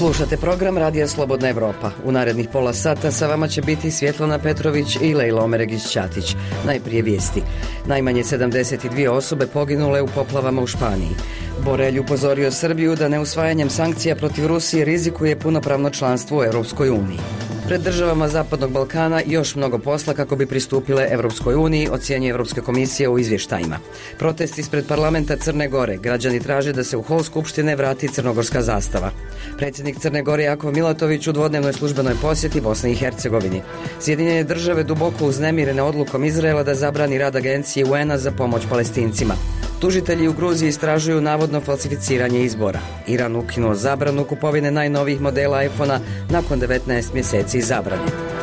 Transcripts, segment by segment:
Slušate program Radija Slobodna Evropa. U narednih pola sata sa vama će biti Svjetlana Petrović i Lejla Omeregić-Ćatić. Najprije vijesti. Najmanje 72 osobe poginule u poplavama u Španiji. Borelj upozorio Srbiju da neusvajanjem sankcija protiv Rusije rizikuje punopravno članstvo u Europskoj uniji. Pred državama Zapadnog Balkana još mnogo posla kako bi pristupile Europskoj uniji, ocjenjuje Europska komisija u izvještajima. Protest ispred parlamenta Crne Gore. Građani traže da se u hol Skupštine vrati crnogorska zastava. Predsjednik Crne Gore Jakov Milatović u dvodnevnoj službenoj posjeti Bosni i Hercegovini. Sjedinjene države duboko uznemirene odlukom Izraela da zabrani rad agencije UN-a za pomoć Palestincima. Tužitelji u Gruziji istražuju navodno falsificiranje izbora. Iran ukinuo zabranu kupovine najnovijih modela iPhona nakon 19 mjeseci zabrane.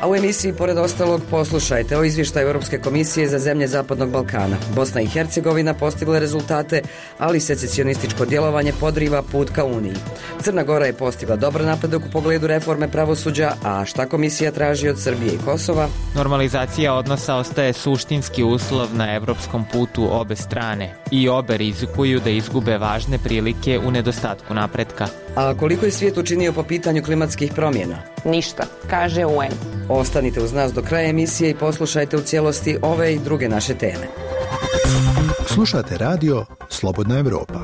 A u emisiji, pored ostalog, poslušajte o izvještaju Europske komisije za zemlje Zapadnog Balkana. Bosna i Hercegovina postigla rezultate, ali secesionističko djelovanje podriva put ka Uniji. Crna Gora je postigla dobar napredak u pogledu reforme pravosuđa, a šta komisija traži od Srbije i Kosova? Normalizacija odnosa ostaje suštinski uslov na evropskom putu obe strane i obe rizikuju da izgube važne prilike u nedostatku napretka. A koliko je svijet učinio po pitanju klimatskih promjena? Ništa, kaže UN. Ostanite uz nas do kraja emisije i poslušajte u cijelosti ove i druge naše teme. Slušate radio Slobodna Evropa.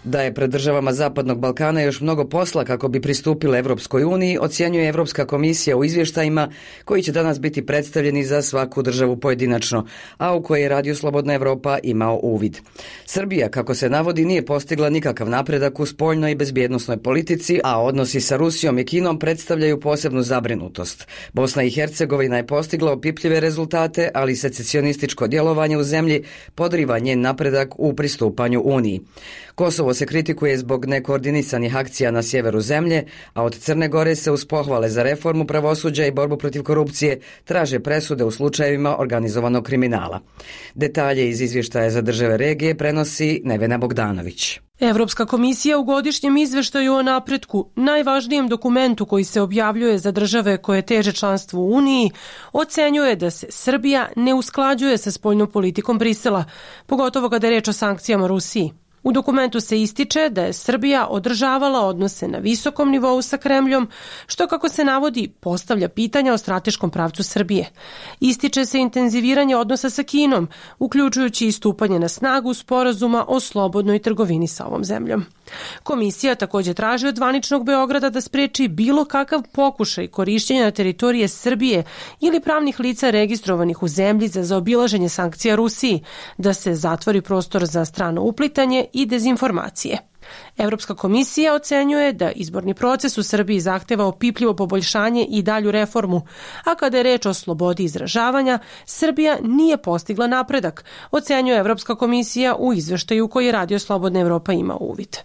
Da je pred državama Zapadnog Balkana još mnogo posla kako bi pristupile Europskoj uniji, ocjenjuje Europska komisija u izvještajima koji će danas biti predstavljeni za svaku državu pojedinačno, a u koje je Radio Slobodna Evropa imao uvid. Srbija, kako se navodi, nije postigla nikakav napredak u spoljnoj i bezbjednosnoj politici, a odnosi sa Rusijom i Kinom predstavljaju posebnu zabrinutost. Bosna i Hercegovina je postigla opipljive rezultate, ali secesionističko djelovanje u zemlji podriva njen napredak u pristupanju Uniji. Kosovo se kritikuje zbog nekoordinisanih akcija na sjeveru zemlje, a od Crne Gore se uz pohvale za reformu pravosuđa i borbu protiv korupcije traže presude u slučajevima organizovanog kriminala. Detalje iz izvještaja za države regije prenosi Nevena Bogdanović. Evropska komisija u godišnjem izveštaju o napretku, najvažnijem dokumentu koji se objavljuje za države koje teže članstvu u Uniji, ocenjuje da se Srbija ne usklađuje sa spoljnom politikom Brisela, pogotovo kada je reč o sankcijama Rusiji. U dokumentu se ističe da je Srbija održavala odnose na visokom nivou sa Kremljom, što, kako se navodi, postavlja pitanja o strateškom pravcu Srbije. Ističe se intenziviranje odnosa sa Kinom, uključujući i stupanje na snagu sporazuma o slobodnoj trgovini sa ovom zemljom. Komisija također traži od zvaničnog Beograda da spreči bilo kakav pokušaj korišćenja na teritorije Srbije ili pravnih lica registrovanih u zemlji za zaobilaženje sankcija Rusiji, da se zatvori prostor za strano uplitanje i dezinformacije. Evropska komisija ocenjuje da izborni proces u Srbiji zahteva opipljivo poboljšanje i dalju reformu, a kada je reč o slobodi izražavanja, Srbija nije postigla napredak, ocenjuje Evropska komisija u izveštaju koji je Radio Slobodna Evropa ima uvid.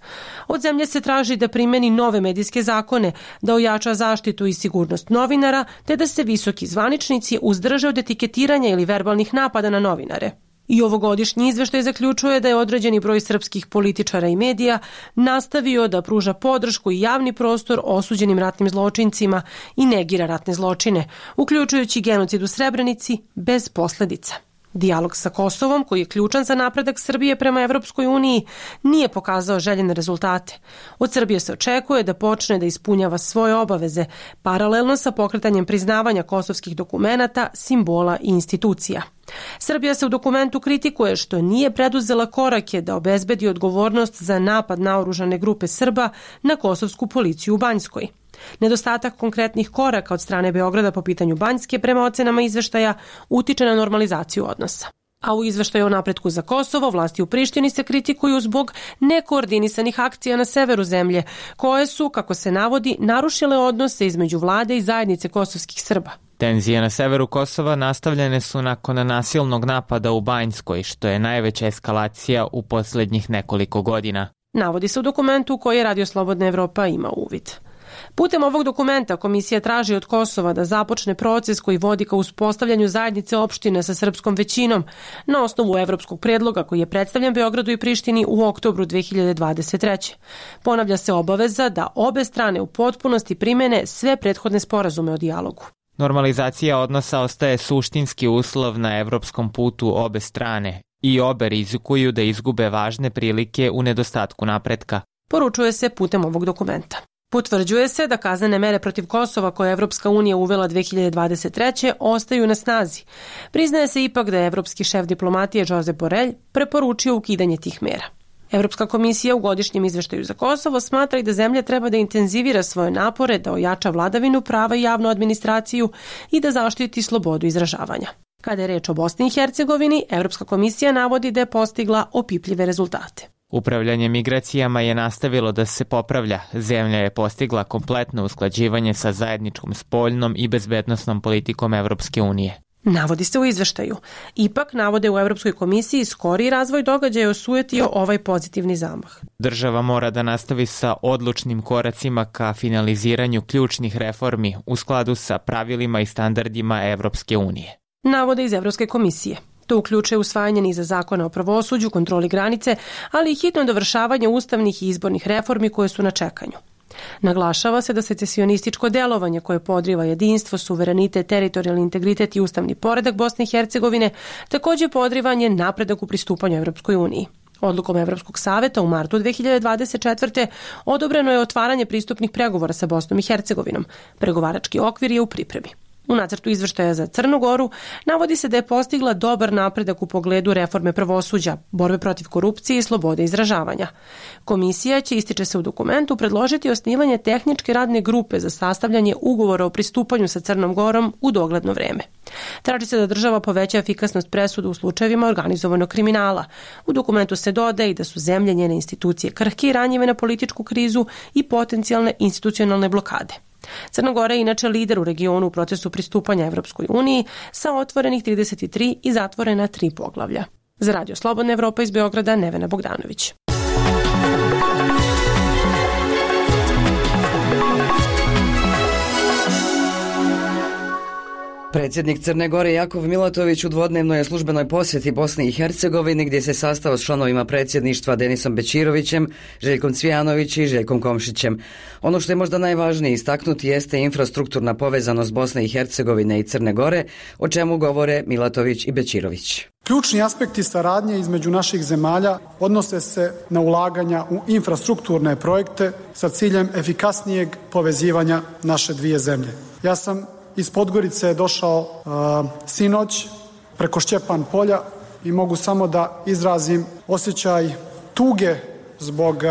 Od zemlje se traži da primeni nove medijske zakone, da ojača zaštitu i sigurnost novinara, te da se visoki zvaničnici uzdrže od etiketiranja ili verbalnih napada na novinare. I ovogodišnji izveštaj zaključuje da je određeni broj srpskih političara i medija nastavio da pruža podršku i javni prostor osuđenim ratnim zločincima i negira ratne zločine, uključujući genocid u Srebrenici bez posljedica. Dijalog sa Kosovom, koji je ključan za napredak Srbije prema Evropskoj uniji, nije pokazao željene rezultate. Od Srbije se očekuje da počne da ispunjava svoje obaveze, paralelno sa pokretanjem priznavanja kosovskih dokumenata, simbola i institucija. Srbija se u dokumentu kritikuje što nije preduzela korake da obezbedi odgovornost za napad naoružane grupe Srba na kosovsku policiju u Banjskoj. Nedostatak konkretnih koraka od strane Beograda po pitanju Banjske, prema ocenama izveštaja, utiče na normalizaciju odnosa. A u izveštaju o napretku za Kosovo, vlasti u Prištini se kritikuju zbog nekoordinisanih akcija na severu zemlje, koje su, kako se navodi, narušile odnose između vlade i zajednice kosovskih Srba. Tenzije na severu Kosova nastavljene su nakon nasilnog napada u Banjskoj, što je najveća eskalacija u posljednjih nekoliko godina. Navodi se u dokumentu koji je Radio Slobodna Evropa ima uvid. Putem ovog dokumenta komisija traži od Kosova da započne proces koji vodi ka uspostavljanju zajednice opština sa srpskom većinom na osnovu evropskog predloga koji je predstavljen Beogradu i Prištini u oktobru 2023. Ponavlja se obaveza da obe strane u potpunosti primene sve prethodne sporazume o dijalogu. Normalizacija odnosa ostaje suštinski uslov na evropskom putu obe strane i obe rizikuju da izgube važne prilike u nedostatku napretka. Poručuje se putem ovog dokumenta. Potvrđuje se da kaznene mere protiv Kosova koje je Evropska unija uvela 2023. ostaju na snazi. Priznaje se ipak da je evropski šef diplomatije Josep Borrell preporučio ukidanje tih mera. Evropska komisija u godišnjem izveštaju za Kosovo smatra i da zemlja treba da intenzivira svoje napore, da ojača vladavinu prava i javnu administraciju i da zaštiti slobodu izražavanja. Kada je reč o Bosni i Hercegovini, Evropska komisija navodi da je postigla opipljive rezultate. Upravljanje migracijama je nastavilo da se popravlja. Zemlja je postigla kompletno usklađivanje sa zajedničkom spoljnom i bezbednosnom politikom Evropske unije. Navodi se u izveštaju. Ipak, navode u Evropskoj komisiji, skori razvoj događaja osujetio ovaj pozitivni zamah. Država mora da nastavi sa odlučnim koracima ka finaliziranju ključnih reformi u skladu sa pravilima i standardima Evropske unije. Navode iz Evropske komisije. To uključuje usvajanje niza zakona o pravosuđu, kontroli granice, ali i hitno dovršavanje ustavnih i izbornih reformi koje su na čekanju. Naglašava se da secesionističko delovanje koje podriva jedinstvo, suverenitet, teritorijalni integritet i ustavni poredak Bosne i Hercegovine također podrivanje napredak u pristupanju Evropskoj uniji. Odlukom Evropskog saveta u martu 2024. odobreno je otvaranje pristupnih pregovora sa Bosnom i Hercegovinom. Pregovarački okvir je u pripremi. U nacrtu izveštaja za Crnu Goru navodi se da je postigla dobar napredak u pogledu reforme pravosuđa, borbe protiv korupcije i slobode izražavanja. Komisija će, ističe se u dokumentu, predložiti osnivanje tehničke radne grupe za sastavljanje ugovora o pristupanju sa Crnom Gorom u dogledno vreme. Traži se da država poveća efikasnost presuda u slučajevima organizovanog kriminala. U dokumentu se dodaje i da su zemlje, njene institucije krhke i ranjive na političku krizu i potencijalne institucionalne blokade. Crna Gora je inače lider u regionu u procesu pristupanja Evropskoj uniji sa otvorenih 33 i zatvorena 3 poglavlja. Za Radio Slobodna Evropa iz Beograda, Nevena Bogdanović. Predsjednik Crne Gore Jakov Milatović u dvodnevnoj službenoj posjeti Bosni i Hercegovini gdje se sastao s članovima predsjedništva Denisom Bećirovićem, Željkom Cvijanović i Željkom Komšićem. Ono što je možda najvažnije istaknuti jeste infrastrukturna povezanost Bosne i Hercegovine i Crne Gore, o čemu govore Milatović i Bećirović. Ključni aspekti saradnje između naših zemalja odnose se na ulaganja u infrastrukturne projekte sa ciljem efikasnijeg povezivanja naše dvije zemlje. Ja sam iz Podgorice došao sinoć preko Šćepan polja i mogu samo da izrazim osjećaj tuge zbog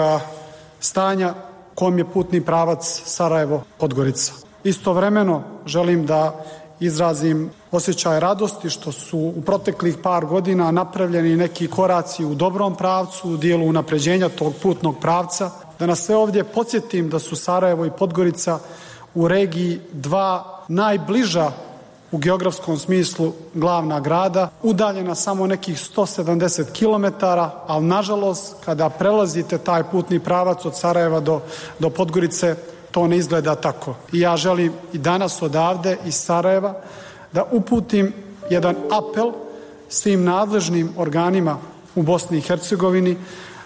stanja kojom je putni pravac Sarajevo-Podgorica. Istovremeno želim da izrazim osjećaj radosti što su u proteklih par godina napravljeni neki koraci u dobrom pravcu, u dijelu unapređenja tog putnog pravca. Da nas sve ovdje podsjetim da su Sarajevo i Podgorica u regiji dva najbliža u geografskom smislu glavna grada, udaljena samo nekih 170 km, ali nažalost kada prelazite taj putni pravac od Sarajeva do Podgorice, to ne izgleda tako. I ja želim i danas odavde iz Sarajeva da uputim jedan apel svim nadležnim organima u Bosni i Hercegovini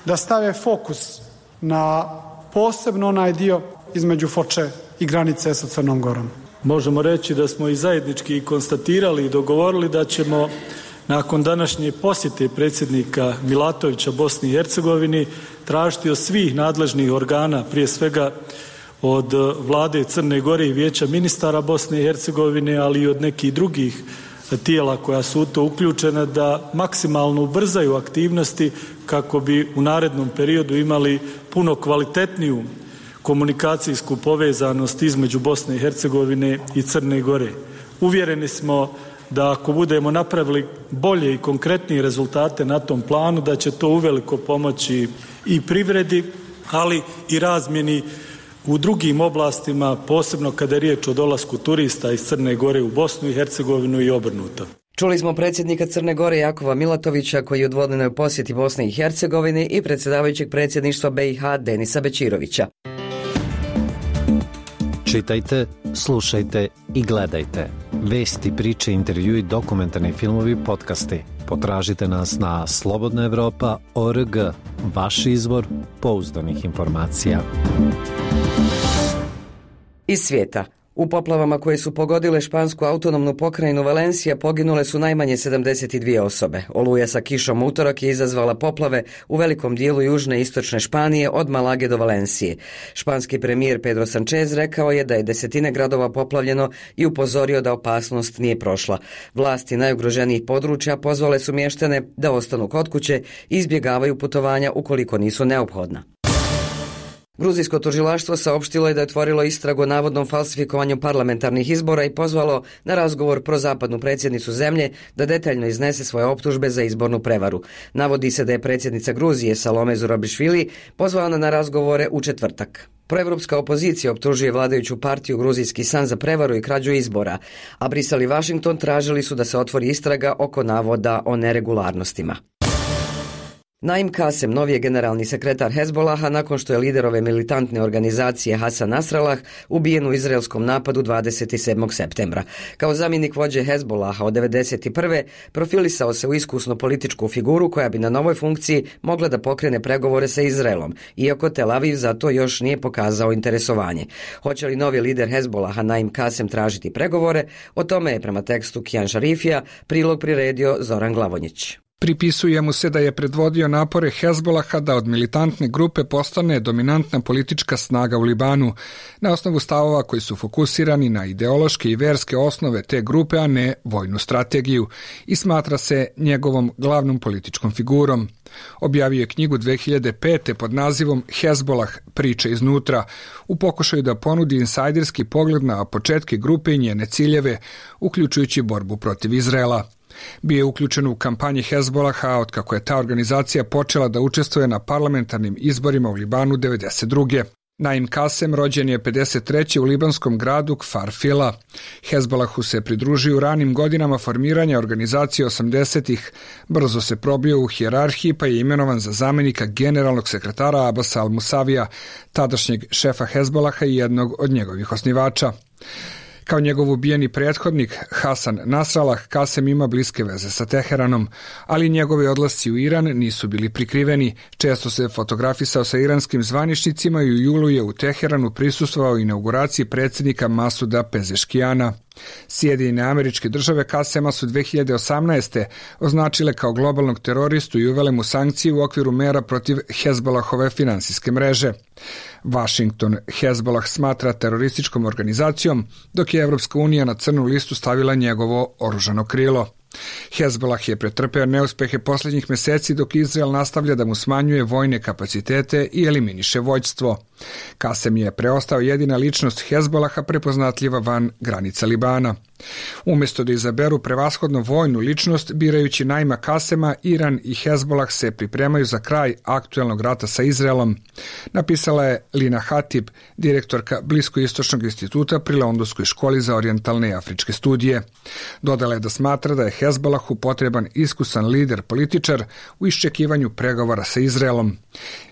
da stave fokus na posebno onaj dio između Foče i granice sa Crnom Gorom. Možemo reći da smo i zajednički konstatirali i dogovorili da ćemo nakon današnje posjete predsjednika Milatovića Bosni i Hercegovini tražiti od svih nadležnih organa, prije svega od vlade Crne Gore i Vijeća ministara Bosne i Hercegovine, ali i od nekih drugih tijela koja su u to uključena, da maksimalno ubrzaju aktivnosti kako bi u narednom periodu imali puno kvalitetniju komunikacijsku povezanost između Bosne i Hercegovine i Crne Gore. Uvjereni smo da ako budemo napravili bolje i konkretnije rezultate na tom planu, da će to uveliko pomoći i privredi, ali i razmjeni u drugim oblastima, posebno kada je riječ o dolasku turista iz Crne Gore u Bosnu i Hercegovinu i obrnuto. Čuli smo predsjednika Crne Gore Jakova Milatovića koji je u dvodnevnoj posjeti Bosni i Hercegovini i predsjedavajućeg predsjedništva BiH Denisa Bećirovića. Čitajte, slušajte i gledajte. Vesti, priče, intervjui, dokumentarni filmovi, podcasti. Potražite nas na slobodnaevropa.org, vaš izvor pouzdanih informacija. Iz svijeta. U poplavama koje su pogodile špansku autonomnu pokrajinu Valencija poginule su najmanje 72 osobe. Oluja sa kišom utorak je izazvala poplave u velikom dijelu južne i istočne Španije od Malage do Valencije. Španski premijer Pedro Sánchez rekao je da je desetine gradova poplavljeno i upozorio da opasnost nije prošla. Vlasti najugroženijih područja pozvale su mještane da ostanu kod kuće i izbjegavaju putovanja ukoliko nisu neophodna. Gruzijsko tužilaštvo saopštilo je da je otvorilo istragu o navodnom falsifikovanju parlamentarnih izbora i pozvalo na razgovor prozapadnu predsjednicu zemlje da detaljno iznese svoje optužbe za izbornu prevaru. Navodi se da je predsjednica Gruzije Salome Zurabišvili pozvana na razgovore u četvrtak. Proevropska opozicija optužuje vladajuću partiju Gruzijski san za prevaru i krađu izbora, a Brisel i Washington tražili su da se otvori istraga oko navoda o neregularnostima. Naim Kasem, novi je generalni sekretar Hezbolaha nakon što je lider ove militantne organizacije Hasan Nasrallah ubijen u izraelskom napadu 27. septembra. Kao zamjenik vođe Hezbolaha od 1991. profilisao se u iskusnu političku figuru koja bi na novoj funkciji mogla da pokrene pregovore sa Izraelom, iako Tel Aviv za to još nije pokazao interesovanje. Hoće li novi lider Hezbolaha Naim Kasem tražiti pregovore? O tome je prema tekstu Kijan Šarifija prilog priredio Zoran Glavonjić. Pripisuje mu se da je predvodio napore Hezbolaha da od militantne grupe postane dominantna politička snaga u Libanu, na osnovu stavova koji su fokusirani na ideološke i verske osnove te grupe, a ne vojnu strategiju, i smatra se njegovom glavnom političkom figurom. Objavio je knjigu 2005. pod nazivom Hezbolah priče iznutra, u pokušaju da ponudi insajderski pogled na početke grupe i njene ciljeve, uključujući borbu protiv Izraela. Bio je uključen u kampanji Hezbolaha otkako je ta organizacija počela da učestvuje na parlamentarnim izborima u Libanu 1992. Naim Kasem rođen je 53. u libanskom gradu Kfar Fila. Hezbolahu se pridružio u ranim godinama formiranja organizacije 80-ih, brzo se probio u hijerarhiji pa je imenovan za zamjenika generalnog sekretara Abasa al-Musavija, tadašnjeg šefa Hezbolaha i jednog od njegovih osnivača. Kao njegov ubijeni prethodnik Hasan Nasrallah, Kasem ima bliske veze sa Teheranom, ali njegovi odlasci u Iran nisu bili prikriveni. Često se fotografisao sa iranskim zvaničnicima i u julu je u Teheranu prisustvovao inauguraciji predsjednika Masuda Pezeškijana. Sjedinjene Američke Države Kasema su 2018. označile kao globalnog teroristu i uvele mu sankcije u okviru mera protiv Hezbolahove finansijske mreže. Washington Hezbolah smatra terorističkom organizacijom, dok je Evropska unija na crnu listu stavila njegovo oružano krilo. Hezbolah je pretrpeo neuspehe posljednjih mjeseci dok Izrael nastavlja da mu smanjuje vojne kapacitete i eliminiše vođstvo. Kasem je preostao jedina ličnost Hezbolaha prepoznatljiva van granica Libana. Umjesto da izaberu prevashodno vojnu ličnost, birajući Naima Kasema, Iran i Hezbolah se pripremaju za kraj aktuelnog rata sa Izraelom, napisala je Lina Hatib, direktorka Bliskoistočnog instituta pri Londonskoj školi za orijentalne i afričke studije. Dodala je da smatra da je Hezbolahu potreban iskusan lider političar u iščekivanju pregovora sa Izraelom.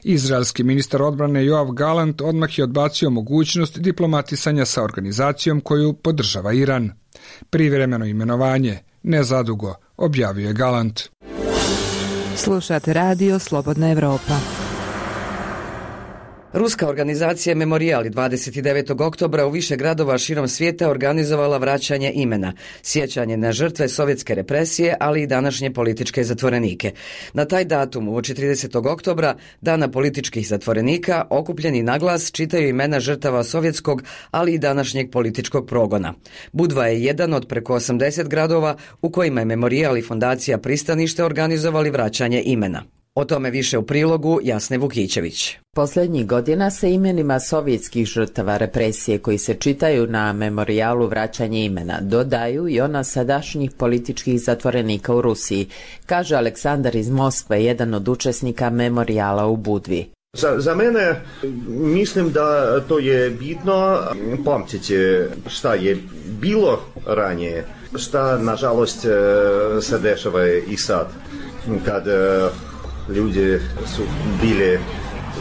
Izraelski ministar odbrane Joav Galant odmah je odbacio mogućnost diplomatisanja sa organizacijom koju podržava Iran. Privremeno imenovanje, nezadugo, objavio je Galant. Slušate radio Slobodna Evropa. Ruska organizacija Memorial 29. oktobra u više gradova širom svijeta organizovala vraćanje imena, sjećanje na žrtve sovjetske represije, ali i današnje političke zatvorenike. Na taj datum, uoči 30. oktobra, dana političkih zatvorenika, okupljeni naglas čitaju imena žrtava sovjetskog, ali i današnjeg političkog progona. Budva je jedan od preko 80 gradova u kojima je Memorial i fondacija Pristanište organizovali vraćanje imena. O tome više u prilogu Jasne Vukićević. Posljednjih godina se imenima sovjetskih žrtava represije koji se čitaju na memorijalu vraćanje imena dodaju i ona sadašnjih političkih zatvorenika u Rusiji, kaže Aleksandar iz Moskve, jedan od učesnika memorijala u Budvi. Za mene mislim da to je bitno pamtiti šta je bilo ranije, šta nažalost se dešava i sad, kad ljudi su bili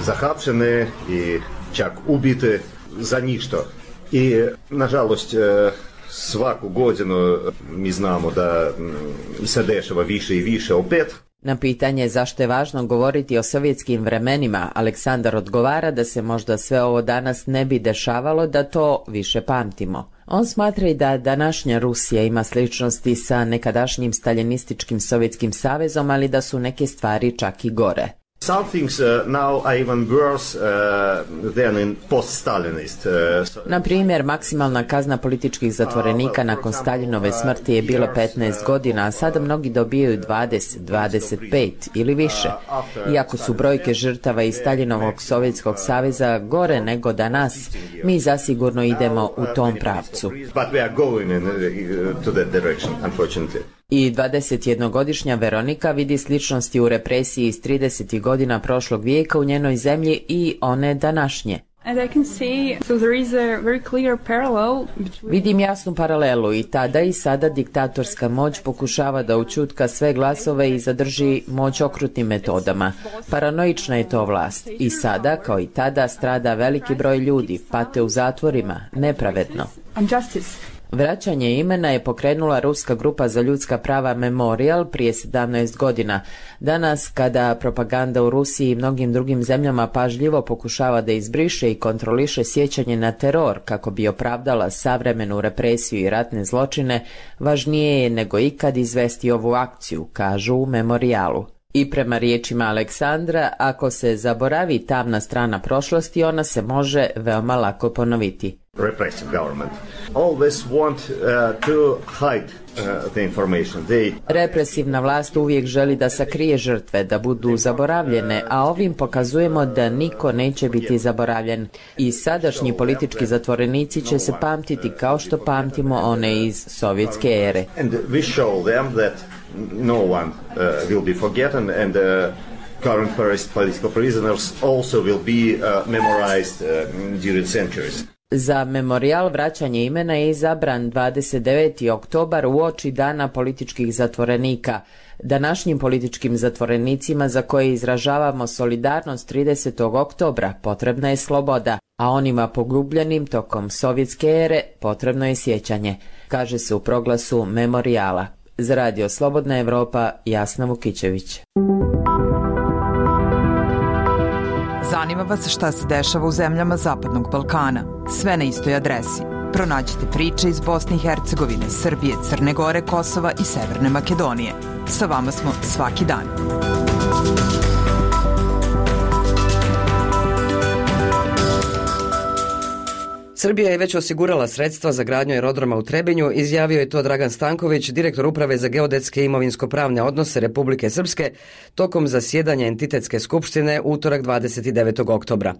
zahapšeni i čak ubiti za ništa. I nažalost svaku godinu mi znamo da se dešava više i više opet. Na pitanje zašto je važno govoriti o sovjetskim vremenima, Aleksandar odgovara da se možda sve ovo danas ne bi dešavalo da to više pamtimo. On smatra i da današnja Rusija ima sličnosti sa nekadašnjim staljinističkim Sovjetskim savezom, ali da su neke stvari čak i gore. Some things now are even worse than in post-Stalinist. Na primjer, maksimalna kazna političkih zatvorenika nakon Staljinove smrti je bila 15 godina, a sada mnogi dobijaju 20, 25 ili više. Iako su brojke žrtava iz Staljinovog Sovjetskog saveza gore nego danas, mi zasigurno idemo u tom pravcu. But we are going to that direction, unfortunately. I 21-godišnja Veronika vidi sličnosti u represiji iz 30. godina prošlog vijeka u njenoj zemlji i one današnje. Vidim jasnu paralelu, i tada i sada diktatorska moć pokušava da ućutka sve glasove i zadrži moć okrutnim metodama. Paranoična je to vlast. I sada, kao i tada, strada veliki broj ljudi, pate u zatvorima, nepravedno. Vraćanje imena je pokrenula ruska grupa za ljudska prava Memorial prije 17 godina. Danas, kada propaganda u Rusiji i mnogim drugim zemljama pažljivo pokušava da izbriše i kontroliše sjećanje na teror kako bi opravdala savremenu represiju i ratne zločine, važnije je nego ikad izvesti ovu akciju, kažu u Memorialu. I prema riječima Aleksandra, ako se zaboravi tamna strana prošlosti, ona se može veoma lako ponoviti. Repressive government always want to hide the information. Represivna vlast uvijek želi da sakrije žrtve, da budu zaboravljene, a ovim pokazujemo da niko neće biti zaboravljen. I sadašnji politički zatvorenici će se pamtiti kao što pamtimo one iz sovjetske ere. And we show them that no one will be forgotten, and current political prisoners also will be memorized during centuries. Za Memorial vraćanje imena je izabran 29. oktobar uoči dana političkih zatvorenika. Današnjim političkim zatvorenicima za koje izražavamo solidarnost 30. oktobra potrebna je sloboda, a onima pogubljenim tokom sovjetske ere potrebno je sjećanje, kaže se u proglasu Memoriala. Za Radio Slobodna Evropa, Jasna Vukićević. Zanima vas šta se dešava u zemljama Zapadnog Balkana. Sve na istoj adresi. Pronađite priče iz Bosne i Hercegovine, Srbije, Crne Gore, Kosova i Severne Makedonije. Sa vama smo svaki dan. Srbija je već osigurala sredstva za gradnju aerodroma u Trebinju, izjavio je to Dragan Stanković, direktor Uprave za geodetske i imovinsko-pravne odnose Republike Srpske, tokom zasjedanja entitetske skupštine utorak 29. oktobra.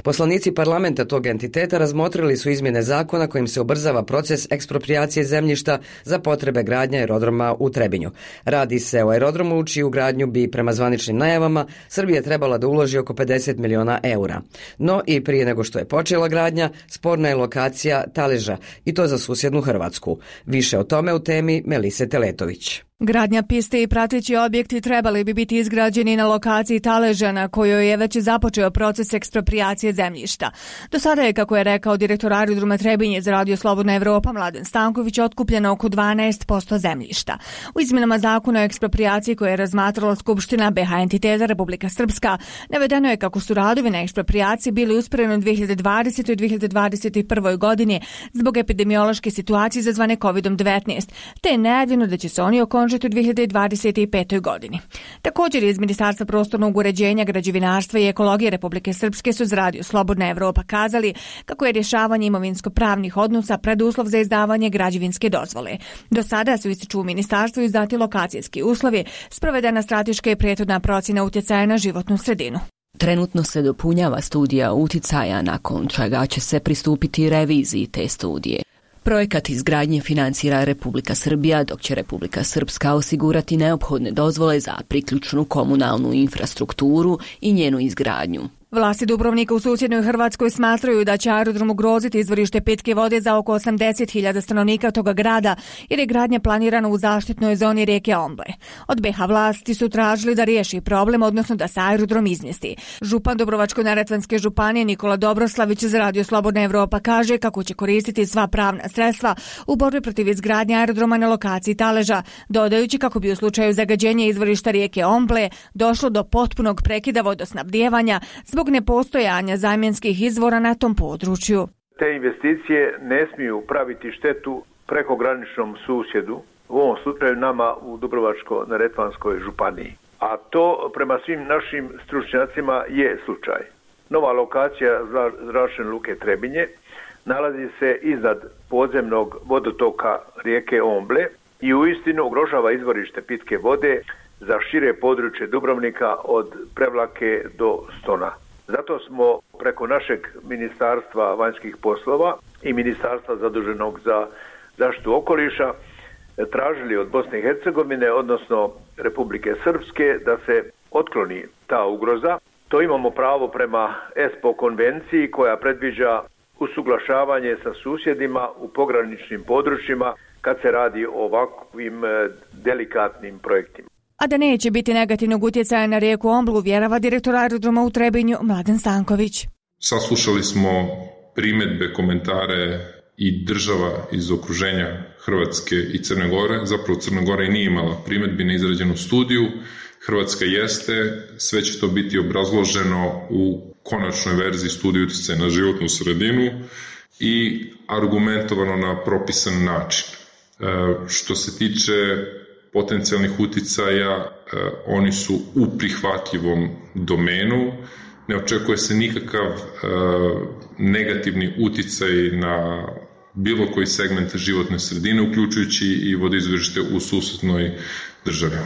Poslanici parlamenta tog entiteta razmotrili su izmjene zakona kojim se ubrzava proces eksproprijacije zemljišta za potrebe gradnje aerodroma u Trebinju. Radi se o aerodromu u čiju gradnju bi, prema zvaničnim najavama, Srbija trebala da uloži oko 50 miliona eura. No i prije nego što je počela gradnja, sporna je lokacija Taleža, i to za susjednu Hrvatsku. Više o tome u temi Melise Teletović. Gradnja piste i prateći objekti trebali bi biti izgrađeni na lokaciji Taleža, na kojoj je već započeo proces eksproprijacije zemljišta. Do sada je, kako je rekao direktor aerodroma Trebinje za Radio Slobodna Evropa Mladen Stanković, otkupljeno oko 12% zemljišta. U izmjenama zakona o eksproprijaciji koje je razmatrala Skupština BH entiteta Republika Srpska, navedeno je kako su radovi na eksproprijaciji bili usporeni u 2020. i 2021. godini zbog epidemiološke situacije izazvane COVID-19, te je najavljeno da će se oni okončati u 2025. godini. Također iz Ministarstva prostornog uređenja, građevinarstva i ekologije Republike Srpske su za Radio Slobodna Evropa kazali kako je rješavanje imovinsko-pravnih odnosa preduslov za izdavanje građevinske dozvole. Do sada su, ističu u ministarstvu, izdati lokacijski uslovi, sprovedena strateška i prethodna procjena utjecaja na životnu sredinu. Trenutno se dopunjava studija uticaja, nakon čega će se pristupiti reviziji te studije. Projekat izgradnje financira Republika Srbija, dok će Republika Srpska osigurati neophodne dozvole za priključnu komunalnu infrastrukturu i njenu izgradnju. Vlasti Dubrovnika u susjednoj Hrvatskoj smatraju da će aerodrom ugroziti izvorište pitke vode za oko 80.000 stanovnika toga grada, jer je gradnja planirana u zaštitnoj zoni rijeke Omble. Od BiH vlasti su tražili da riješi problem, odnosno da se aerodrom izmjesti. Župan Dubrovačko-neretvanske županije Nikola Dobroslavić za Radio Slobodna Evropa kaže kako će koristiti sva pravna sredstva u borbi protiv izgradnje aerodroma na lokaciji Taleža, dodajući kako bi u slučaju zagađenja izvorišta rijeke Omble došlo do potpunog prekida vodosnabdijevanja zbog nepostojanja zamjenskih izvora na tom području. Te investicije ne smiju praviti štetu prekograničnom susjedu, u ovom slučaju nama u Dubrovačko-neretvanskoj županiji. A to prema svim našim stručnjacima je slučaj. Nova lokacija zračne luke Trebinje nalazi se iznad podzemnog vodotoka rijeke Omble i uistinu ugrožava izvorište pitke vode za šire područje Dubrovnika od Prevlake do Stona. Zato smo preko našeg Ministarstva vanjskih poslova i Ministarstva zaduženog za zaštitu okoliša tražili od Bosne i Hercegovine, odnosno Republike Srpske, da se otkloni ta ugroza. To imamo pravo prema ESPO konvenciji koja predviđa usuglašavanje sa susjedima u pograničnim područjima kad se radi o ovakvim delikatnim projektima. A da neće biti negativnog utjecaja na rijeku Omblu, vjerava direktor aerodroma u Trebinju Mladen Stanković. Saslušali smo primjedbe, komentare i država iz okruženja Hrvatske i Crne Gore. Zapravo Crna Gora i nije imala primjedbi na izrađenu studiju. Hrvatska jeste, sve će to biti obrazloženo u konačnoj verziji studije utjecaja na životnu sredinu i argumentovano na propisan način. Što se tiče potencijalnih utjecaja, oni su u prihvatljivom domenu. Ne očekuje se nikakav negativni utjecaj na bilo koji segment životne sredine, uključujući i vodoizvorište u susjednoj državi.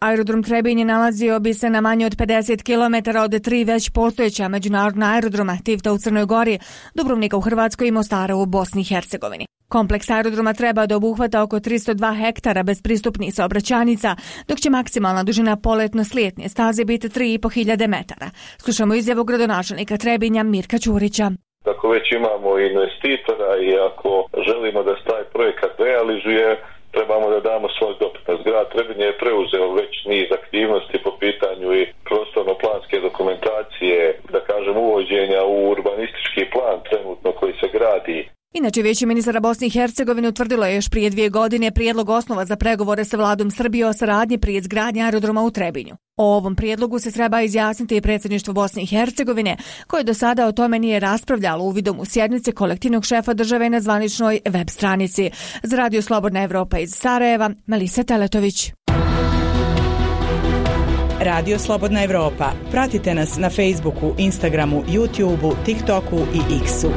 Aerodrom Trebinje nalazio bi se na manje od 50 km od tri već postojeća međunarodna aerodroma, Tivta u Crnoj Gori, Dubrovnika u Hrvatskoj i Mostara u Bosni i Hercegovini. Kompleks aerodroma treba da obuhvata oko 302 hektara bez pristupnih saobraćajnica, dok će maksimalna dužina poletno-slijetne staze biti 3.500 metara. Slušamo izjavu gradonačelnika Trebinja Mirka Ćurića. Ako već imamo investitora i ako želimo da se taj projekat realizuje, trebamo da damo svoj doprinos. Grad Trebinje je preuzeo već niz aktivnosti po pitanju i prostorno-planske dokumentacije, da kažem uvođenja u urbanistički plan trenutno koji se gradi. Inače, Vijeće ministara Bosne i Hercegovine utvrdilo je još prije 2 godine prijedlog osnova za pregovore sa vladom Srbije o saradnji pri izgradnji aerodroma u Trebinju. O ovom prijedlogu se treba izjasniti i predsjedništvo Bosne i Hercegovine, koje do sada o tome nije raspravljalo uvidom u sjednice kolektivnog šefa države na zvaničnoj web stranici. Za Radio Slobodna Evropa iz Sarajeva, Melisa Teletović. Radio Slobodna Evropa. Pratite nas na Facebooku, Instagramu, YouTubeu, TikToku i X-u.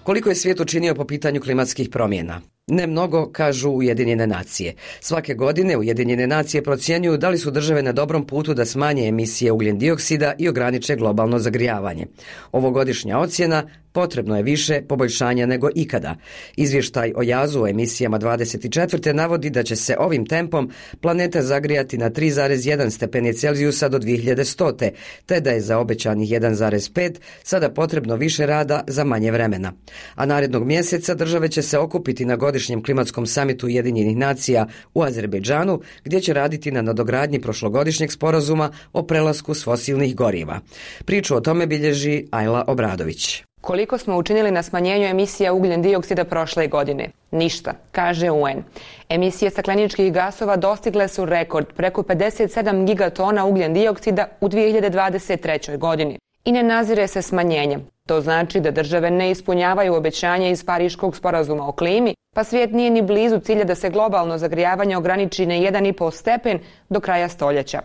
Koliko je svijet učinio po pitanju klimatskih promjena? Ne mnogo, kažu Ujedinjene nacije. Svake godine Ujedinjene nacije procjenjuju da li su države na dobrom putu da smanje emisije ugljen dioksida i ograniče globalno zagrijavanje. Ovogodišnja ocjena: potrebno je više poboljšanja nego ikada. Izvještaj o jazu o emisijama 24. navodi da će se ovim tempom planeta zagrijati na 3,1 stepeni Celzijusa do 2100. te da je za obećanih 1,5 sada potrebno više rada za manje vremena. A narednog mjeseca države će se okupiti na godišnjem klimatskom samitu Ujedinjenih nacija u Azerbejdžanu, gdje će raditi na nadogradnji prošlogodišnjeg sporazuma o prelasku s fosilnih goriva. Priču o tome bilježi Ajla Obradović. Koliko smo učinili na smanjenju emisija ugljen dioksida prošle godine? Ništa, kaže UN. Emisije stakleničkih gasova dostigle su rekord preko 57 gigatona ugljen dioksida u 2023. godini. I ne nazire se smanjenje. To znači da države ne ispunjavaju obećanje iz Pariškog sporazuma o klimi, pa svijet nije ni blizu cilja da se globalno zagrijavanje ograniči na 1,5 stepen do kraja stoljeća.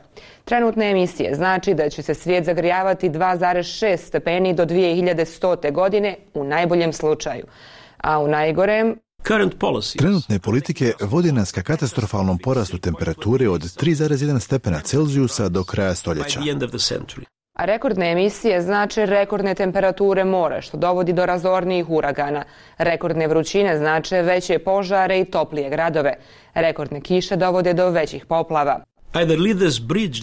Trenutne emisije znači da će se svijet zagrijavati 2,6 stepeni do 2100. godine u najboljem slučaju, a u najgorem... Trenutne politike vodi nas ka katastrofalnom porastu temperature od 3,1 stepena Celzijusa do kraja stoljeća. A rekordne emisije znače rekordne temperature mora, što dovodi do razornijih uragana. Rekordne vrućine znače veće požare i toplije gradove. Rekordne kiše dovode do većih poplava.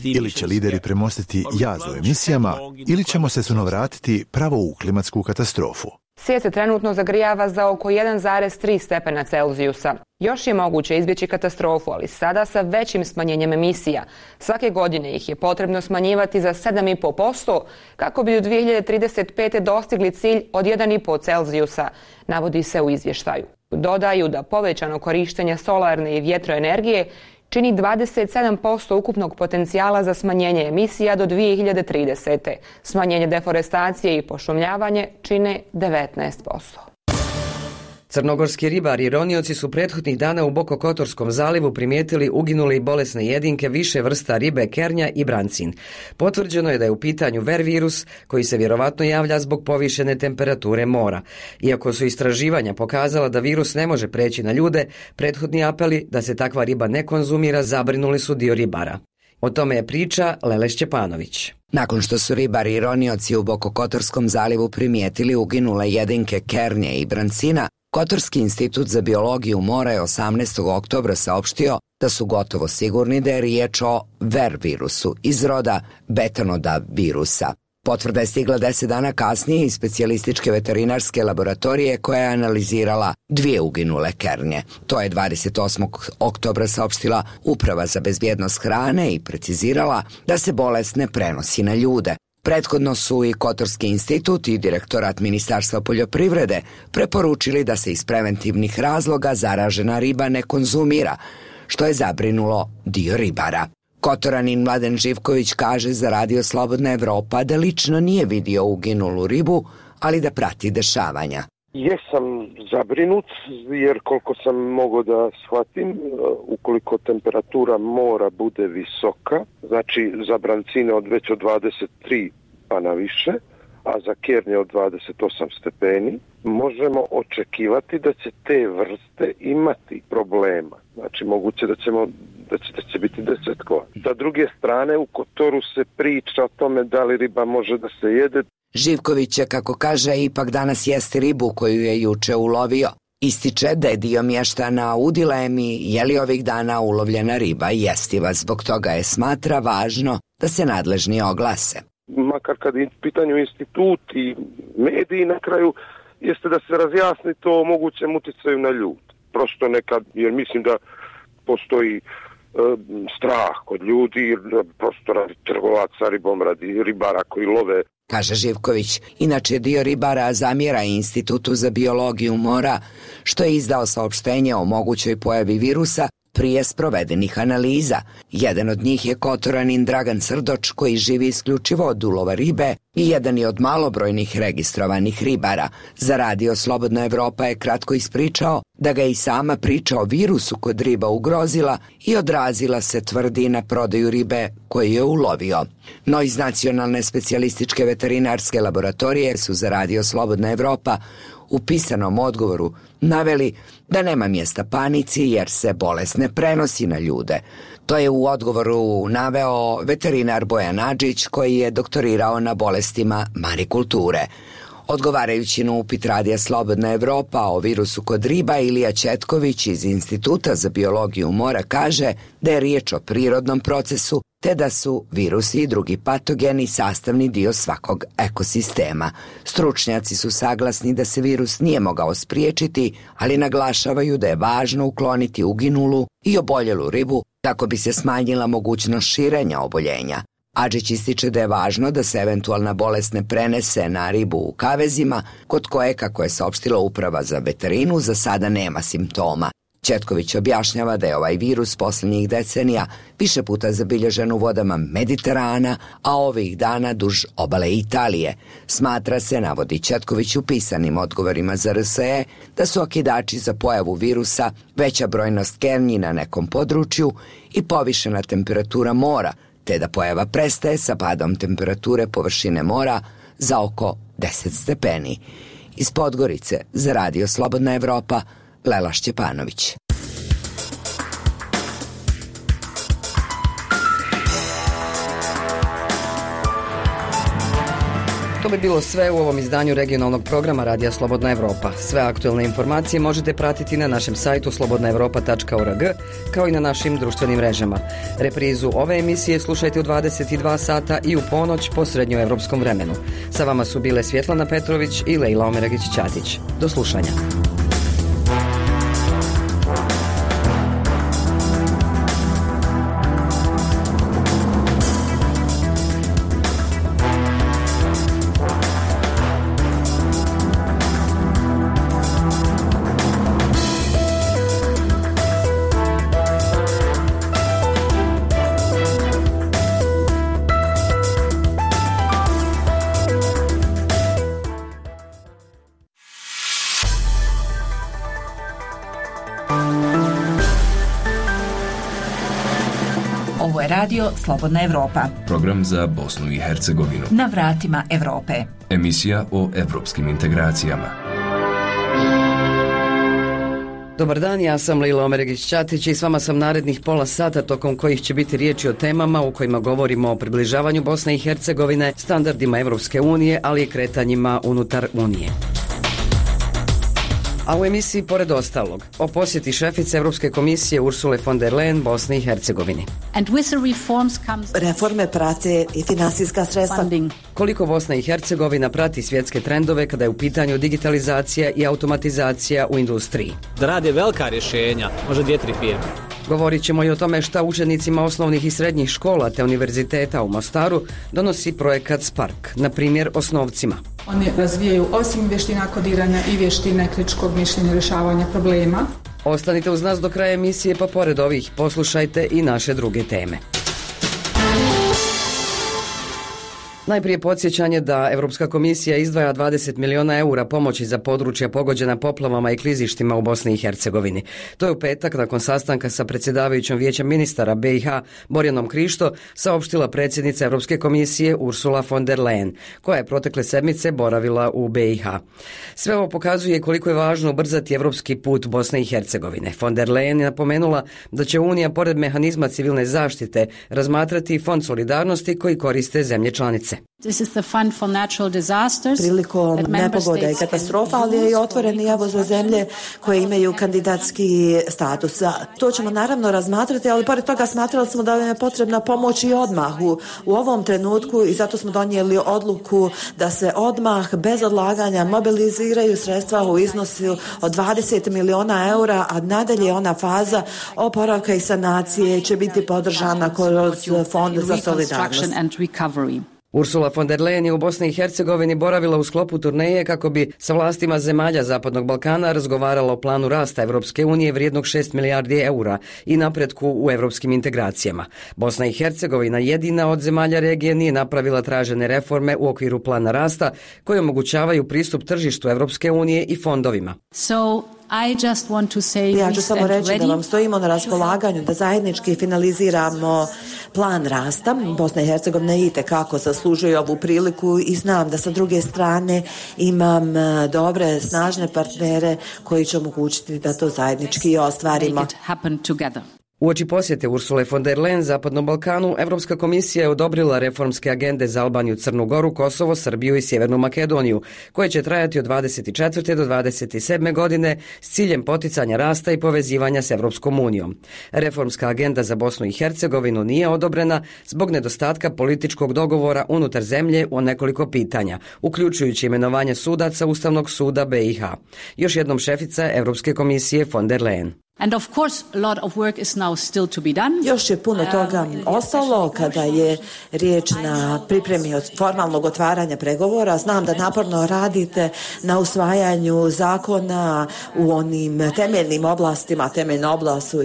Ili će lideri premostiti jaz u emisijama, ili ćemo se suno vratiti pravo u klimatsku katastrofu. Svijet se trenutno zagrijava za oko 1,3 stepena Celzijusa. Još je moguće izbjeći katastrofu, ali sada sa većim smanjenjem emisija. Svake godine ih je potrebno smanjivati za 7,5% kako bi do 2035. dostigli cilj od 1,5 Celzijusa, navodi se u izvještaju. Dodaju da povećano korištenje solarne i vjetroenergije čini 27% ukupnog potencijala za smanjenje emisija do 2030. Smanjenje deforestacije i pošumljavanje čine 19%. Crnogorski ribari i ronioci su prethodnih dana u Bokokotorskom zalivu primijetili uginule i bolesne jedinke više vrsta ribe kernja i brancin. Potvrđeno je da je u pitanju ver virus koji se vjerovatno javlja zbog povišene temperature mora. Iako su istraživanja pokazala da virus ne može preći na ljude, prethodni apeli da se takva riba ne konzumira zabrinuli su dio ribara. O tome je priča Lele Šćepanović. Nakon što su ribari i ronioci u Bokokotorskom zalivu primijetili uginule jedinke kernje i brancina, Kotorski institut za biologiju mora je 18. oktobra saopštio da su gotovo sigurni da je riječ o ver virusu iz roda betanoda virusa. Potvrda je stigla 10 dana kasnije iz specijalističke veterinarske laboratorije koja je analizirala 2 uginule kernje. To je 28. oktobra saopštila Uprava za bezbjednost hrane i precizirala da se bolest ne prenosi na ljude. Prethodno su i Kotorski institut i direktorat Ministarstva poljoprivrede preporučili da se iz preventivnih razloga zaražena riba ne konzumira, što je zabrinulo dio ribara. Kotoranin Mladen Živković kaže za Radio Slobodna Evropa da lično nije vidio uginulu ribu, ali da prati dešavanja. Jesam zabrinut jer koliko sam mogao da shvatim, ukoliko temperatura mora bude visoka, znači za brancine već od 23 pa na više, a za kernje od 28 stepeni, možemo očekivati da će te vrste imati problema. Znači moguće da će biti desetkova. Sa druge strane u Kotoru se priča o tome da li riba može da se jede. Živković je, kako kaže, ipak danas jesti ribu koju je juče ulovio. Ističe da je dio mještana u dilemi je li ovih dana ulovljena riba jestiva, zbog toga je smatra važno da se nadležni oglase. Makar kad je pitanju institut i mediji na kraju, jeste da se razjasni to o mogućem utjecaju na ljud. Prosto nekad, jer mislim da postoji strah kod ljudi, prosto radi trgovaca ribom, radi ribara koji love. Kaže Živković, inače dio ribara zamjera Institutu za biologiju mora, što je izdao saopštenje o mogućoj pojavi virusa prije sprovedenih analiza. Jedan od njih je Kotoranin Dragan Srdoč, koji živi isključivo od ulova ribe i jedan je od malobrojnih registrovanih ribara. Za Radio Slobodna Evropa je kratko ispričao da ga i sama priča o virusu kod riba ugrozila i odrazila se, tvrdi, na prodaju ribe koju je ulovio. No iz Nacionalne specijalističke veterinarske laboratorije su za Radio Slobodna Evropa u pisanom odgovoru naveli da nema mjesta panici jer se bolest ne prenosi na ljude. To je u odgovoru naveo veterinar Bojan Adžić, koji je doktorirao na bolestima marikulture. Odgovarajući na upit Radija Slobodna Evropa o virusu kod riba, Ilija Četković iz Instituta za biologiju mora kaže da je riječ o prirodnom procesu, te da su virusi i drugi patogeni sastavni dio svakog ekosistema. Stručnjaci su saglasni da se virus nije mogao spriječiti, ali naglašavaju da je važno ukloniti uginulu i oboljelu ribu kako bi se smanjila mogućnost širenja oboljenja. Adžić ističe da je važno da se eventualna bolest ne prenese na ribu u kavezima, kod koje, kako je saopštila Uprava za veterinu, za sada nema simptoma. Četković objašnjava da je ovaj virus posljednjih decenija više puta zabilježen u vodama Mediterana, a ovih dana duž obale Italije. Smatra se, navodi Četković u pisanim odgovorima za RSE, da su okidači za pojavu virusa veća brojnost kernji na nekom području i povišena temperatura mora, te da pojava prestaje sa padom temperature površine mora za oko 10 stepeni. Iz Podgorice za Radio Slobodna Evropa, Lela Šćepanović. To bi bilo sve u ovom izdanju regionalnog programa Radija Slobodna Evropa. Sve aktuelne informacije možete pratiti na našem sajtu slobodnaevropa.org, kao i na našim društvenim mrežama. Reprizu ove emisije slušajte u 22 sata i u ponoć po srednjoevropskom vremenu. Sa vama su bile Svjetlana Petrović i Lejla Omeragić-Ćatić. Do slušanja. Ovo je radio Slobodna Evropa. Program za Bosnu i Hercegovinu. Na vratima Evrope. Emisija o evropskim integracijama. Dobar dan, ja sam Lejla Omeragić-Ćatić i s vama sam narednih pola sata tokom kojih će biti riječi o temama u kojima govorimo o približavanju Bosne i Hercegovine, standardima Evropske unije, ali i kretanjima unutar Unije. A u emisiji, pored ostalog, o posjeti šefice Evropske komisije Ursule von der Leyen Bosni i Hercegovini. Reforme prate i finansijska sredstva. Koliko Bosna i Hercegovina prati svjetske trendove kada je u pitanju digitalizacija i automatizacija u industriji. Da rade velika rješenja, možda 2-3 firme. Govorit ćemo i o tome šta učenicima osnovnih i srednjih škola te univerziteta u Mostaru donosi projekat Spark, na primjer osnovcima. Oni razvijaju osim vještina kodiranja i vještine kritičkog mišljenja i rješavanja problema. Ostanite uz nas do kraja emisije, pa pored ovih poslušajte i naše druge teme. Najprije podsjećanje da Evropska komisija izdvaja 20 miliona eura pomoći za područja pogođena poplavama i klizištima u Bosni i Hercegovini. To je u petak nakon sastanka sa predsjedavajućom Vijeća ministara BiH Borjanom Krišto saopštila predsjednica Evropske komisije Ursula von der Leyen, koja je protekle sedmice boravila u BiH. Sve ovo pokazuje koliko je važno ubrzati evropski put Bosne i Hercegovine. Von der Leyen je napomenula da će Unija pored mehanizma civilne zaštite razmatrati fond solidarnosti koji koriste zemlje članice. Prilikom nepogoda i katastrofa, ali je i otvoren javo za zemlje koje imaju kandidatski status. To ćemo naravno razmatrati, ali pored toga smatrali smo da je potrebna pomoć i odmah u ovom trenutku i zato smo donijeli odluku da se odmah bez odlaganja mobiliziraju sredstva u iznosu od 20 miliona eura, a nadalje ona faza oporavka i sanacije će biti podržana kroz Fond za solidarnost. Ursula von der Leyen je u Bosni i Hercegovini boravila u sklopu turneje kako bi sa vlastima zemalja Zapadnog Balkana razgovarala o planu rasta Evropske unije vrijednog 6 milijardi eura i napretku u evropskim integracijama. Bosna i Hercegovina jedina od zemalja regije nije napravila tražene reforme u okviru plana rasta koje omogućavaju pristup tržištu Evropske unije i fondovima. Ja ću samo reći da vam stojimo na raspolaganju da zajednički finaliziramo plan rasta. Bosna i Hercegovina itekako zaslužuje ovu priliku i znam da sa druge strane imam dobre, snažne partnere koji će omogućiti da to zajednički ostvarimo. Uoči posjete Ursule von der Leyen Zapadnom Balkanu, Evropska komisija je odobrila reformske agende za Albaniju, Crnu Goru, Kosovo, Srbiju i Sjevernu Makedoniju, koje će trajati od 24. do 27. godine s ciljem poticanja rasta i povezivanja s Evropskom unijom. Reformska agenda za Bosnu i Hercegovinu nije odobrena zbog nedostatka političkog dogovora unutar zemlje o nekoliko pitanja, uključujući imenovanje sudaca Ustavnog suda BiH. Još jednom šefica Evropske komisije von der Leyen. Još je puno toga ostalo kada je riječ na pripremi od formalnog otvaranja pregovora. Znam da naporno radite na usvajanju zakona u onim temeljnim oblastima. Temeljna oblast su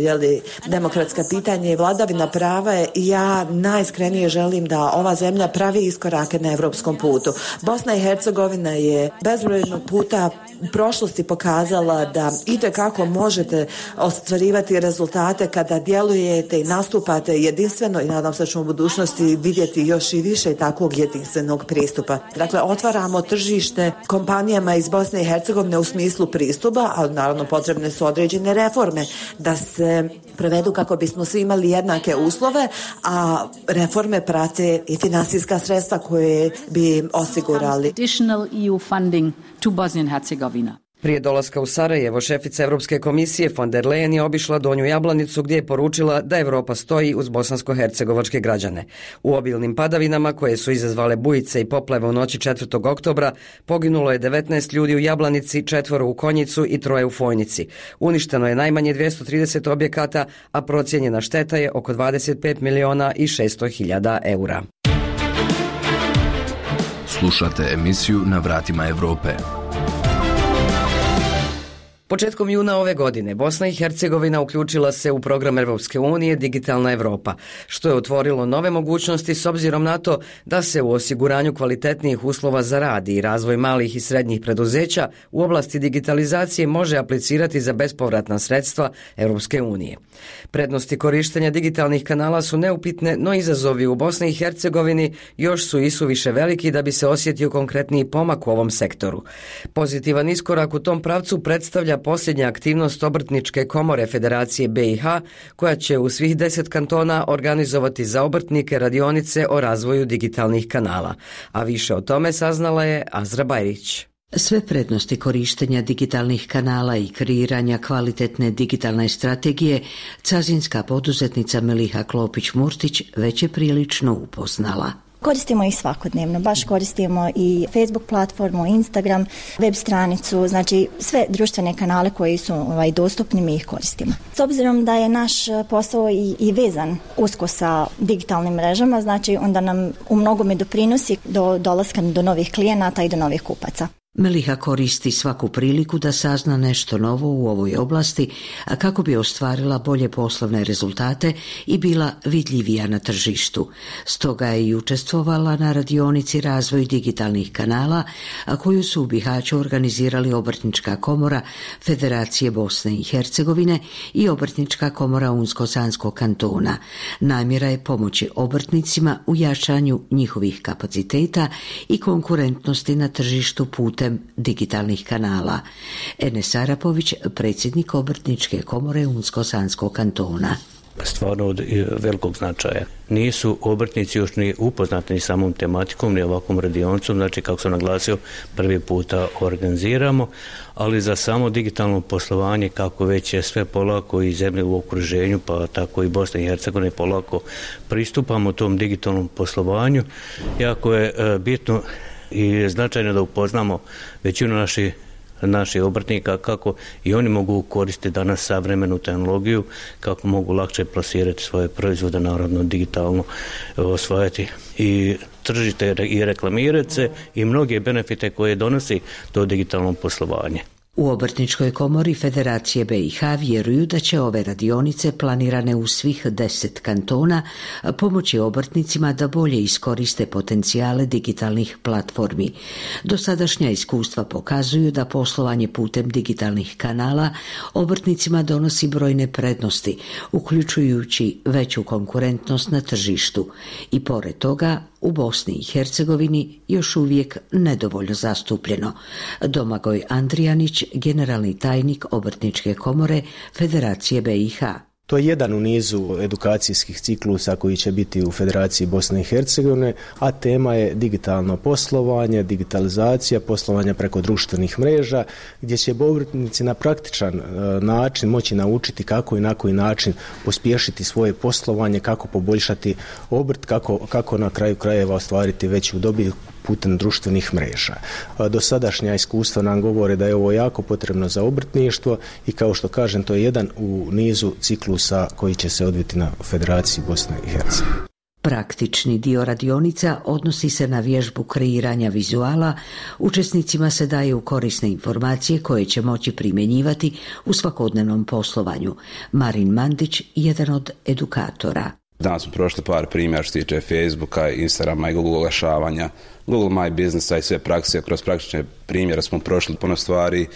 demokratska pitanja i vladavina prava i ja najiskrenije želim da ova zemlja pravi iskorake na evropskom putu. Bosna i Hercegovina je bezbrojno puta u prošlosti pokazala da itekako možete ostvarivati rezultate kada djelujete i nastupate jedinstveno i nadam se da ćemo u budućnosti vidjeti još i više takvog jedinstvenog pristupa. Dakle, otvaramo tržište kompanijama iz Bosne i Hercegovine u smislu pristupa, ali naravno potrebne su određene reforme da se prevedu kako bismo svi imali jednake uslove, a reforme prate i finansijska sredstva koje bi osigurali. Additional EU funding to Bosnia and Herzegovina. Prije dolaska u Sarajevo, šefica Europske komisije von der Leyen je obišla Donju Jablanicu gdje je poručila da Europa stoji uz bosansko-hercegovačke građane. U obilnim padavinama koje su izazvale bujice i poplave u noći 4. oktobra poginulo je 19 ljudi u Jablanici, 4 u Konjicu i 3 u Fojnici. Uništeno je najmanje 230 objekata, a procijenjena šteta je oko 25 miliona i 600 hiljada eura. Slušate emisiju Na vratima Europe. Početkom juna ove godine Bosna i Hercegovina uključila se u program Europske unije Digitalna Europa, što je otvorilo nove mogućnosti s obzirom na to da se u osiguranju kvalitetnijih uslova za rad i razvoj malih i srednjih preduzeća u oblasti digitalizacije može aplicirati za bespovratna sredstva Europske unije. Prednosti korištenja digitalnih kanala su neupitne, no izazovi u Bosni i Hercegovini još su isuviše veliki da bi se osjetio konkretniji pomak u ovom sektoru. Pozitivan iskorak u tom pravcu predstavlja posljednja aktivnost Obrtničke komore Federacije BiH, koja će u svih 10 kantona organizovati za obrtnike radionice o razvoju digitalnih kanala. A više o tome saznala je Azra Bajrić. Sve prednosti korištenja digitalnih kanala i kreiranja kvalitetne digitalne strategije cazinska poduzetnica Meliha Klopić-Murtić već je prilično upoznala. Koristimo ih svakodnevno, baš koristimo i Facebook platformu, Instagram, web stranicu, znači sve društvene kanale koji su dostupni mi ih koristimo. S obzirom da je naš posao i vezan usko sa digitalnim mrežama, znači onda nam u mnogome doprinosi do dolaska do novih klijenata i do novih kupaca. Meliha koristi svaku priliku da sazna nešto novo u ovoj oblasti, a kako bi ostvarila bolje poslovne rezultate i bila vidljivija na tržištu. Stoga je i učestvovala na radionici Razvoj digitalnih kanala, a koju su u Bihaću organizirali Obrtnička komora Federacije Bosne i Hercegovine i Obrtnička komora Unsko-Sanskog kantona. Namjera je pomoći obrtnicima u jačanju njihovih kapaciteta i konkurentnosti na tržištu putem digitalnih kanala. Enes Arapović, predsjednik Obrtničke komore Unsko-Sanskog kantona. Stvarno od velikog značaja. Nisu obrtnici još ni upoznati ni samom tematikom, ni ovakvom radionicom, znači kako sam naglasio, prvi puta organiziramo, ali za samo digitalno poslovanje, kako već je sve polako i zemlje u okruženju, pa tako i Bosna i Hercegovina polako pristupamo tom digitalnom poslovanju. Jako je bitno i značajno da upoznamo većinu naših obrtnika kako i oni mogu koristiti danas savremenu tehnologiju, kako mogu lakše plasirati svoje proizvode, naravno digitalno osvajati i tržište i reklamirati se i mnoge benefite koje donosi to digitalno poslovanje. U Obrtničkoj komori Federacije BiH vjeruju da će ove radionice planirane u svih 10 kantona pomoći obrtnicima da bolje iskoriste potencijale digitalnih platformi. Dosadašnja iskustva pokazuju da poslovanje putem digitalnih kanala obrtnicima donosi brojne prednosti, uključujući veću konkurentnost na tržištu. I pored toga, u Bosni i Hercegovini još uvijek nedovoljno zastupljeno. Domagoj Andrijanić, generalni tajnik Obrtničke komore Federacije BiH. To je jedan u nizu edukacijskih ciklusa koji će biti u Federaciji Bosne i Hercegovine, a tema je digitalno poslovanje, digitalizacija, poslovanja preko društvenih mreža, gdje će obrtnici na praktičan način moći naučiti kako i na koji način pospješiti svoje poslovanje, kako poboljšati obrt, kako na kraju krajeva ostvariti veću dobit putem društvenih mreža. Dosadašnja iskustva nam govore da je ovo jako potrebno za obrtništvo i kao što kažem, to je jedan u nizu ciklusa koji će se odviti na Federaciji Bosne i Hercegovine. Praktični dio radionica odnosi se na vježbu kreiranja vizuala. Učesnicima se daju korisne informacije koje će moći primjenjivati u svakodnevnom poslovanju. Marin Mandić, jedan od edukatora. Danas smo prošli par primjera što se tiče Facebooka, Instagrama i Google oglašavanja, Google My Businessa i sve prakse. Kroz praktične primjere smo prošli puno stvari,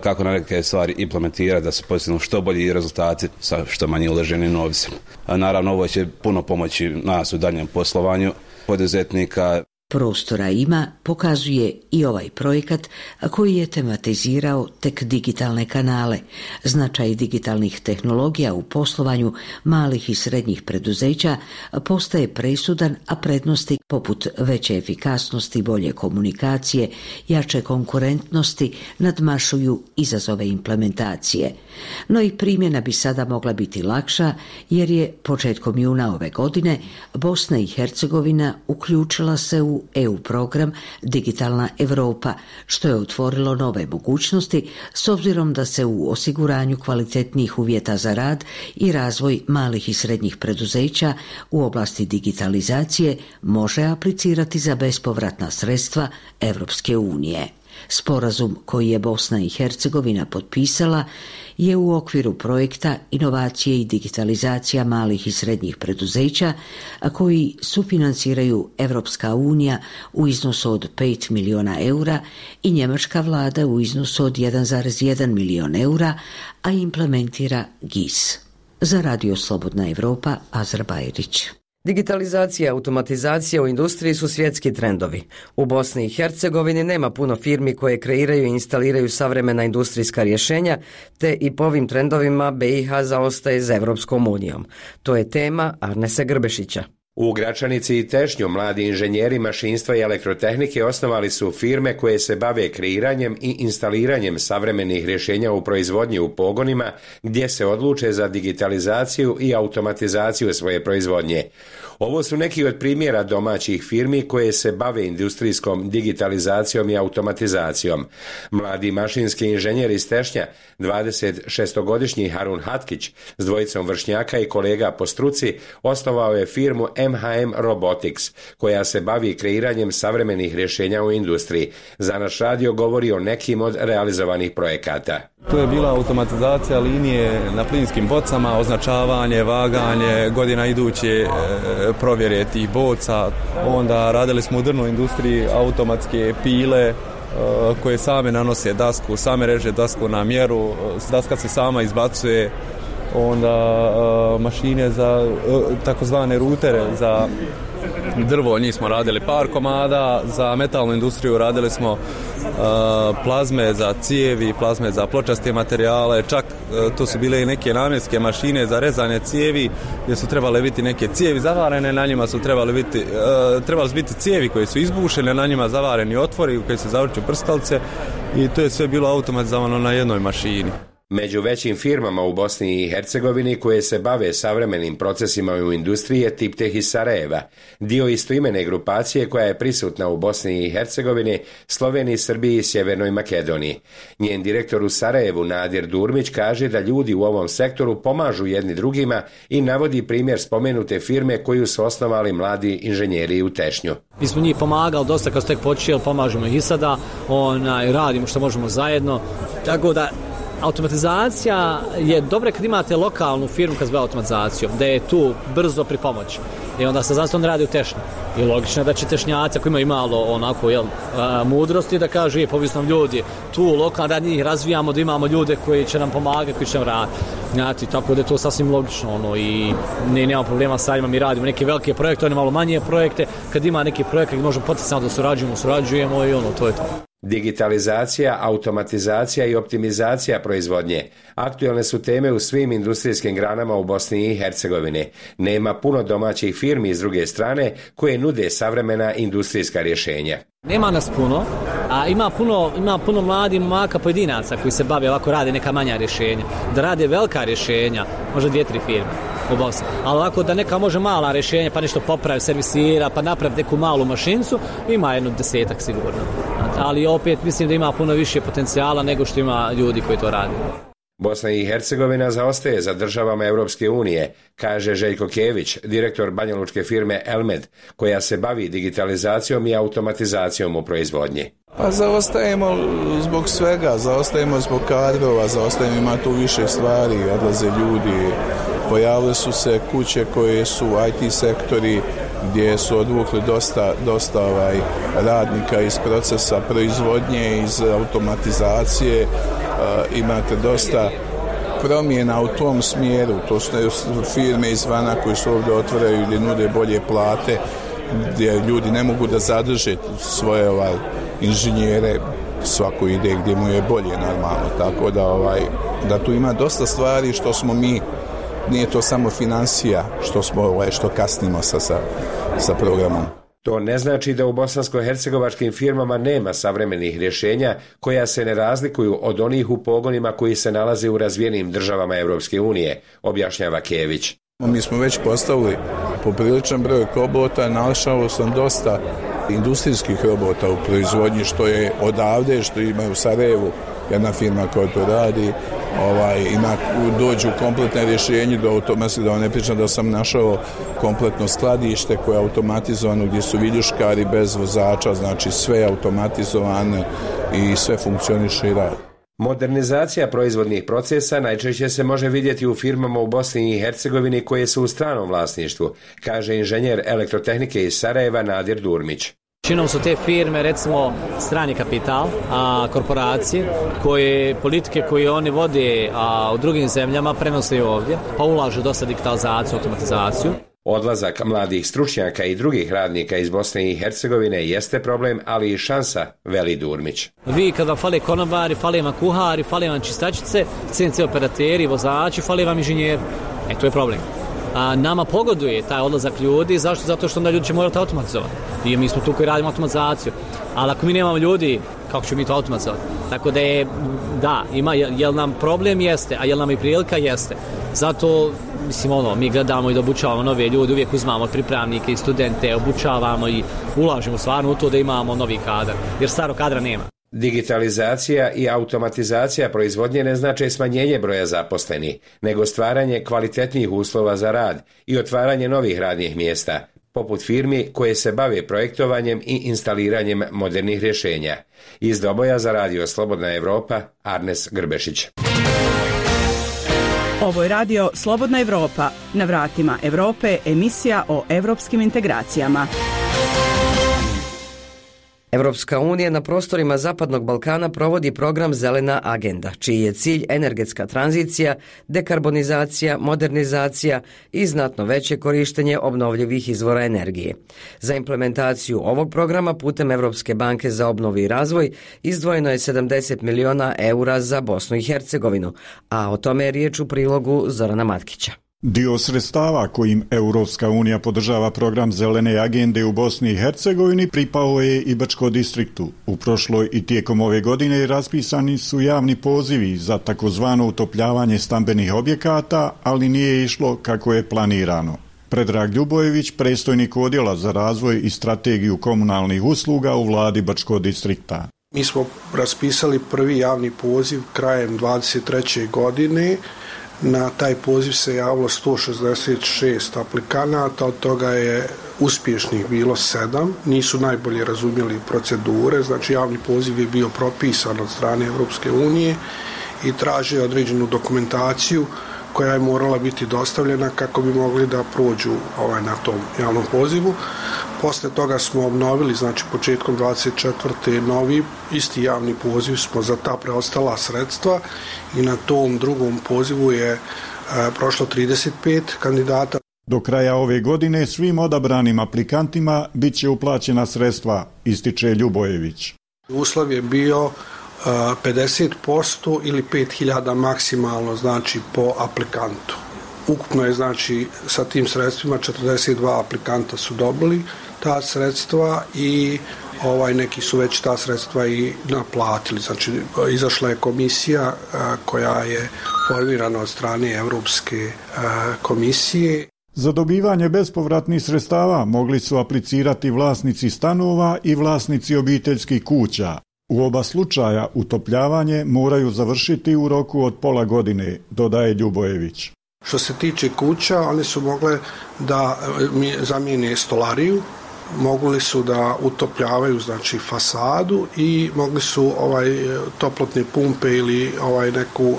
kako na neke stvari implementirati da se postignu što bolji rezultati sa što manje uloženim novcem. Naravno, ovo će puno pomoći nas u daljem poslovanju poduzetnika. Prostora ima, pokazuje i ovaj projekat koji je tematizirao tek digitalne kanale. Značaj digitalnih tehnologija u poslovanju malih i srednjih preduzeća postaje presudan, a prednosti poput veće efikasnosti, bolje komunikacije, jače konkurentnosti nadmašuju izazove implementacije. No i primjena bi sada mogla biti lakša jer je početkom juna ove godine Bosna i Hercegovina uključila se u EU program Digitalna Europa, što je otvorilo nove mogućnosti s obzirom da se u osiguranju kvalitetnijih uvjeta za rad i razvoj malih i srednjih preduzeća u oblasti digitalizacije može aplicirati za bespovratna sredstva Europske unije. Sporazum koji je Bosna i Hercegovina potpisala je u okviru projekta Inovacije i digitalizacija malih i srednjih preduzeća, a koji sufinanciraju Europska unija u iznosu od 5 miliona eura i njemačka vlada u iznosu od 1,1 milion eura, a implementira GIS. Za Radio Slobodna Evropa, Azra Bajrić. Digitalizacija i automatizacija u industriji su svjetski trendovi. U Bosni i Hercegovini nema puno firmi koje kreiraju i instaliraju savremena industrijska rješenja, te i po ovim trendovima BiH zaostaje za Evropskom unijom. To je tema Arnesa Grbešića. U Gračanici i Tešnju mladi inženjeri mašinstva i elektrotehnike osnovali su firme koje se bave kreiranjem i instaliranjem savremenih rješenja u proizvodnji u pogonima gdje se odluče za digitalizaciju i automatizaciju svoje proizvodnje. Ovo su neki od primjera domaćih firmi koje se bave industrijskom digitalizacijom i automatizacijom. Mladi mašinski inženjer iz Tešnja, 26-godišnji Harun Hatkić, s dvojicom vršnjaka i kolega po struci, osnovao je firmu MHM Robotics, koja se bavi kreiranjem savremenih rješenja u industriji. Za naš radio govori o nekim od realizovanih projekata. To je bila automatizacija linije na plinskim bocama, označavanje, vaganje, godina iduće provjere tih boca. Onda radili smo u drvnoj industriji automatske pile koje same nanose dasku, same reže dasku na mjeru, daska se sama izbacuje. Onda mašine za takozvane rutere za drvo, njih smo radili par komada, za metalnu industriju radili smo plazme za cijevi, plazme za pločaste materijale, čak to su bile i neke namjenske mašine za rezanje cijevi gdje su trebale biti neke cijevi zavarene, na njima su trebali biti cijevi koje su izbušene, na njima zavareni otvori u koji se zavrću prskalice i to je sve bilo automatizovano na jednoj mašini. Među većim firmama u Bosni i Hercegovini koje se bave savremenim procesima u industriji je Tipteh iz Sarajeva, dio istoimene grupacije koja je prisutna u Bosni i Hercegovini, Sloveniji, Srbiji i Sjevernoj Makedoniji. Njen direktor u Sarajevu, Nadir Durmić, kaže da ljudi u ovom sektoru pomažu jedni drugima i navodi primjer spomenute firme koju su osnovali mladi inženjeri u Tešnju. Mi smo njih pomagali dosta kad su tek počeli, pomažemo ih i sada, radimo što možemo zajedno, tako da automatizacija je dobra kad imate lokalnu firmu kad se bavi automatizacijom, da je tu brzo pri pomoći. I onda se zašto on radi u Tešnju. I logično je da će Tešnjaci koji imaju malo mudrosti da kažu povisno ljudi tu lokalno da njih razvijamo, da imamo ljude koji će nam pomagati, koji će nam raditi. Tako da je to sasvim logično i nema problema sa njima, mi radimo neke velike projekte, one malo manje projekte. Kad ima neki projekt gdje možemo potencijalno da surađujemo i to je to. Digitalizacija, automatizacija i optimizacija proizvodnje aktualne su teme u svim industrijskim granama u Bosni i Hercegovini. Nema puno domaćih firmi s druge strane koje nude savremena industrijska rješenja. Nema nas puno, a ima puno mladih momaka pojedinaca koji se bave ovako, rade neka manja rješenja. Da rade velika rješenja, možda 2-3 firme u Bosni. Ali ovako da neka može mala rješenja, pa nešto popravi, servisira, pa napravi neku malu mašincu, ima 10 sigurno. Ali opet mislim da ima puno više potencijala nego što ima ljudi koji to rade. Bosna i Hercegovina zaostaje za državama Europske unije, kaže Željko Kević, direktor banjalučke firme Elmed, koja se bavi digitalizacijom i automatizacijom u proizvodnji. Pa zaostajemo zbog svega, zaostajemo zbog kadrova, zaostajemo, ima tu više stvari, odlaze ljudi, Pojavile su se kuće koje su IT sektori gdje su odvukli dosta radnika iz procesa proizvodnje, iz automatizacije. Imate dosta promjena u tom smjeru. To su firme izvana koji su ovdje otvaraju ili nude bolje plate, gdje ljudi ne mogu da zadrže svoje inženjere, svako ide gdje mu je bolje normalno. Tako da tu ima dosta stvari što smo mi, nije to samo financija što kasnimo sa programom. To ne znači da u bosansko-hercegovačkim firmama nema savremenih rješenja koja se ne razlikuju od onih u pogonima koji se nalaze u razvijenim državama Europske unije, objašnjava Kević. Mi smo već postavili popriličan broj robota, našao sam dosta industrijskih robota u proizvodnji, što je odavde, što ima u Sarajevu jedna firma koja to radi, dođu kompletne rješenje do automatizma, da vam ne pričam da sam našao kompletno skladište koje je automatizovano, gdje su viljuškari bez vozača, znači sve je automatizovano i sve funkcioniše i radi. Modernizacija proizvodnih procesa najčešće se može vidjeti u firmama u Bosni i Hercegovini koje su u stranom vlasništvu, kaže inženjer elektrotehnike iz Sarajeva Nadir Durmić. Većinom su te firme, recimo, strani kapital, korporacije, politike koje oni vode u drugim zemljama prenose ovdje, pa ulažu dosta digitalizaciju, automatizaciju. Odlazak mladih stručnjaka i drugih radnika iz Bosne i Hercegovine jeste problem, ali i šansa, veli Durmić. Vi kad vam fale konobari, fale vam kuhari, fale vam čistačice, CNC operateri, vozači, fale vam inženjeri. To je problem. Nama pogoduje taj odlazak ljudi. Zašto? Zato što onda ljudi će morati automatizovati. I mi smo tu koji radimo automatizaciju. Ali ako mi nemamo ljudi, kako ćemo mi to automatizovati? Tako da ima, jel nam problem jeste, a jel nam i prilika jeste. Zato, mi gledamo i da obučavamo nove ljude, uvijek uzmamo pripravnike i studente, obučavamo i ulažemo stvarno u to da imamo novi kadar, jer starog kadra nema. Digitalizacija i automatizacija proizvodnje ne znače smanjenje broja zaposlenih, nego stvaranje kvalitetnijih uslova za rad i otvaranje novih radnih mjesta, poput firmi koje se bave projektovanjem i instaliranjem modernih rješenja. Iz Doboja za radio Slobodna Evropa, Arnes Grbešić. Ovo je radio Slobodna Evropa. Na vratima Evrope, emisija o evropskim integracijama. Evropska unija na prostorima Zapadnog Balkana provodi program Zelena agenda, čiji je cilj energetska tranzicija, dekarbonizacija, modernizacija i znatno veće korištenje obnovljivih izvora energije. Za implementaciju ovog programa putem Evropske banke za obnovu i razvoj izdvojeno je 70 miliona eura za Bosnu i Hercegovinu, a o tome je riječ u prilogu Zorana Matkića. Dio sredstava kojim Europska unija podržava program Zelene agende u Bosni i Hercegovini pripao je i Bačko distriktu. U prošloj i tijekom ove godine raspisani su javni pozivi za takozvano utopljavanje stambenih objekata, ali nije išlo kako je planirano. Predrag Ljubojević, predstojnik odjela za razvoj i strategiju komunalnih usluga u vladi Bačkog distrikta. Mi smo raspisali prvi javni poziv krajem 23. godine. Na taj poziv se javilo 166 aplikanata, od toga je uspješnih bilo 7. Nisu najbolje razumjeli procedure, znači javni poziv je bio propisan od strane Europske unije i traži određenu dokumentaciju koja je morala biti dostavljena kako bi mogli da prođu na tom javnom pozivu. Posle toga smo obnovili, znači početkom 24. novi isti javni poziv smo za ta preostala sredstva i na tom drugom pozivu je prošlo 35 kandidata. Do kraja ove godine svim odabranim aplikantima bit će uplaćena sredstva, ističe Ljubojević. Uslov je bio 50% ili 5.000 maksimalno, znači po aplikantu. Ukupno je, znači, sa tim sredstvima 42 aplikanta su dobili ta sredstva i neki su već ta sredstva i naplatili. Znači, izašla je komisija koja je formirana od strane Europske komisije. Za dobivanje bespovratnih sredstava mogli su aplicirati vlasnici stanova i vlasnici obiteljskih kuća. U oba slučaja utopljavanje moraju završiti u roku od pola godine, dodaje Ljubojević. Što se tiče kuća, one su mogle da zamijene stolariju, mogli su da utopljavaju znači fasadu i mogli su toplotne pumpe ili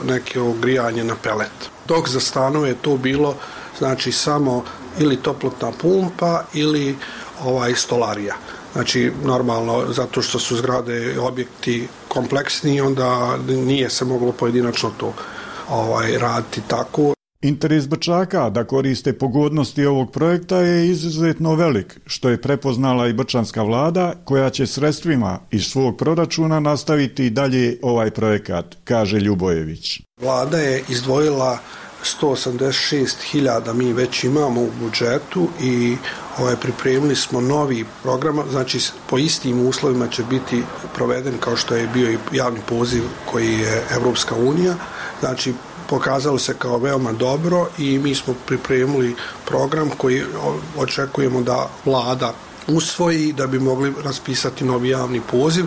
neko grijanje na pelet. Dok za stanove je to bilo znači samo ili toplotna pumpa ili stolarija. Znači normalno zato što su zgrade i objekti kompleksni, onda nije se moglo pojedinačno to raditi tako. Interes Brčaka da koriste pogodnosti ovog projekta je izuzetno velik, što je prepoznala i brčanska vlada, koja će sredstvima iz svog proračuna nastaviti i dalje ovaj projekat, kaže Ljubojević. Vlada je izdvojila 186.000 mi već imamo u budžetu i pripremili smo novi program, znači po istim uslovima će biti proveden kao što je bio i javni poziv koji je Evropska unija, znači pokazalo se kao veoma dobro i mi smo pripremili program koji očekujemo da vlada usvoji da bi mogli raspisati novi javni poziv.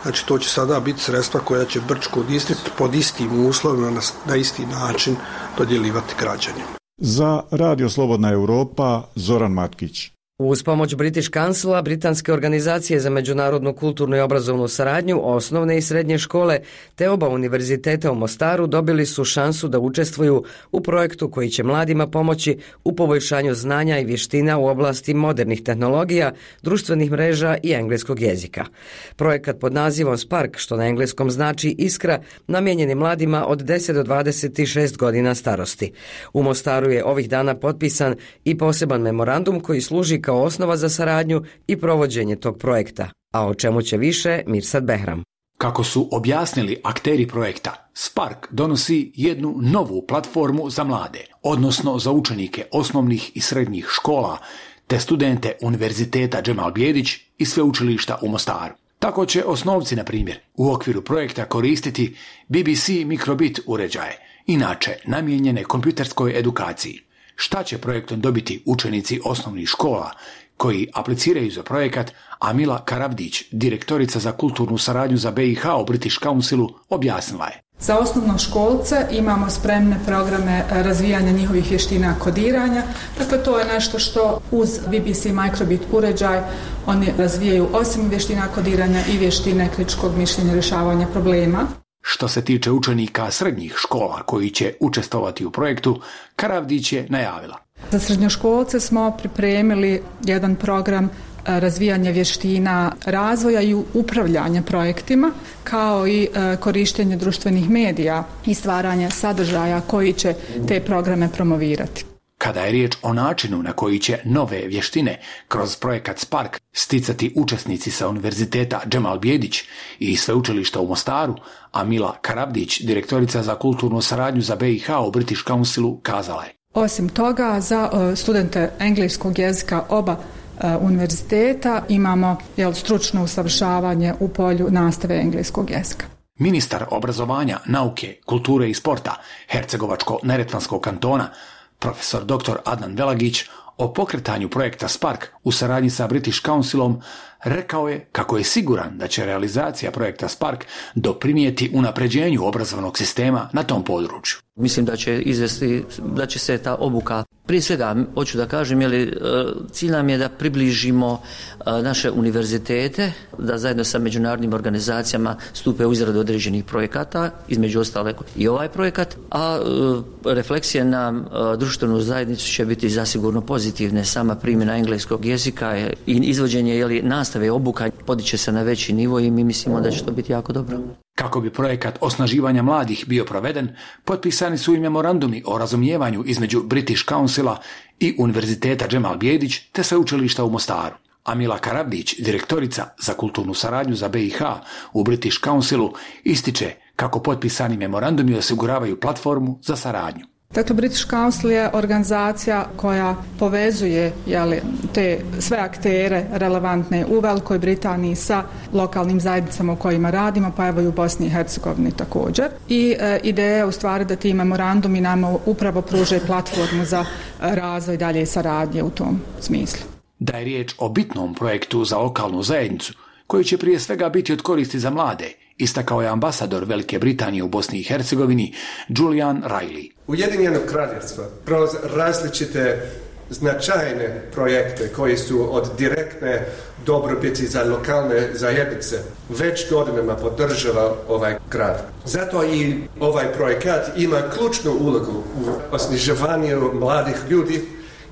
Znači to će sada biti sredstva koja će Brčko distrikt pod istim uslovima na isti način dodjeljivati građanima. Za Radio Slobodna Europa, Zoran Matkić. Uz pomoć British Councila, britanske organizacije za međunarodnu kulturnu i obrazovnu saradnju, osnovne i srednje škole te oba univerziteta u Mostaru dobili su šansu da učestvuju u projektu koji će mladima pomoći u poboljšanju znanja i vještina u oblasti modernih tehnologija, društvenih mreža i engleskog jezika. Projekat pod nazivom Spark, što na engleskom znači iskra, namijenjen je mladima od 10 do 26 godina starosti. U Mostaru je ovih dana potpisan i poseban memorandum koji služi kao osnova za saradnju i provođenje tog projekta. A o čemu će više Mirsad Behram. Kako su objasnili akteri projekta, Spark donosi jednu novu platformu za mlade, odnosno za učenike osnovnih i srednjih škola, te studente Univerziteta Džemal Bijedić i sveučilišta u Mostaru. Tako će osnovci, na primjer, u okviru projekta koristiti BBC mikrobit uređaje, inače namijenjene kompjuterskoj edukaciji. Šta će projektom dobiti učenici osnovnih škola koji apliciraju za projekat, Amila Karavdić, direktorica za kulturnu saradnju za BiH u British Councilu, objasnila je. Za osnovnoškolce imamo spremne programe razvijanja njihovih vještina kodiranja. Dakle, to je nešto što uz BBC Microbit uređaj oni razvijaju osim vještina kodiranja i vještine kritičkog mišljenja, rješavanja problema. Što se tiče učenika srednjih škola koji će učestvovati u projektu, Karavdić je najavila. Za srednjoškolce smo pripremili jedan program razvijanja vještina razvoja i upravljanja projektima, kao i korištenje društvenih medija i stvaranje sadržaja koji će te programe promovirati. Kada je riječ o načinu na koji će nove vještine kroz projekat Spark sticati učesnici sa Univerziteta Džemal Bijedić i sveučilišta u Mostaru, Amila Karavdić, direktorica za kulturnu saradnju za BiH u British Councilu, kazala je. Osim toga, za studente engleskog jezika oba univerziteta imamo stručno usavršavanje u polju nastave engleskog jezika. Ministar obrazovanja, nauke, kulture i sporta Hercegovačko-neretvanskog kantona, profesor dr. Adnan Velagić, o pokretanju projekta Spark u saradnji sa British Councilom rekao je kako je siguran da će realizacija projekta Spark doprinijeti unapređenju obrazovnog sistema na tom području. Mislim da će se ta obuka, prije svega, hoću da kažem, cilj nam je da približimo naše univerzitete, da zajedno sa međunarodnim organizacijama stupe u izradu određenih projekata, između ostalog i ovaj projekat, a refleksije na društvenu zajednicu će biti zasigurno pozitivne. Sama primjena engleskog jezika i izvođenje nastave obuka podiće se na veći nivo i mi mislimo da će to biti jako dobro. Kako bi projekat osnaživanja mladih bio proveden, potpisani su i memorandumi o razumijevanju između British Councila i Univerziteta Džemal Bijedić te sveučilišta u Mostaru. Amila Karavdić, direktorica za kulturnu saradnju za BiH u British Councilu, ističe kako potpisani memorandumi osiguravaju platformu za saradnju. Dakle, British Council je organizacija koja povezuje te sve aktere relevantne u Velikoj Britaniji sa lokalnim zajednicama u kojima radimo, pa evo i u Bosni i Hercegovini također. I ideja je u stvari da ti memorandumi nama upravo pruže platformu za razvoj dalje saradnje u tom smislu. Da je riječ o bitnom projektu za lokalnu zajednicu, koji će prije svega biti od koristi za mlade, istakao je ambasador Velike Britanije u Bosni i Hercegovini Julian Riley. Ujedinjeno kraljevstvo kroz različite značajne projekte koji su od direktne dobrobiti za lokalne zajednice već godinama podržava ovaj grad. Zato i ovaj projekat ima ključnu ulogu u osnaživanju mladih ljudi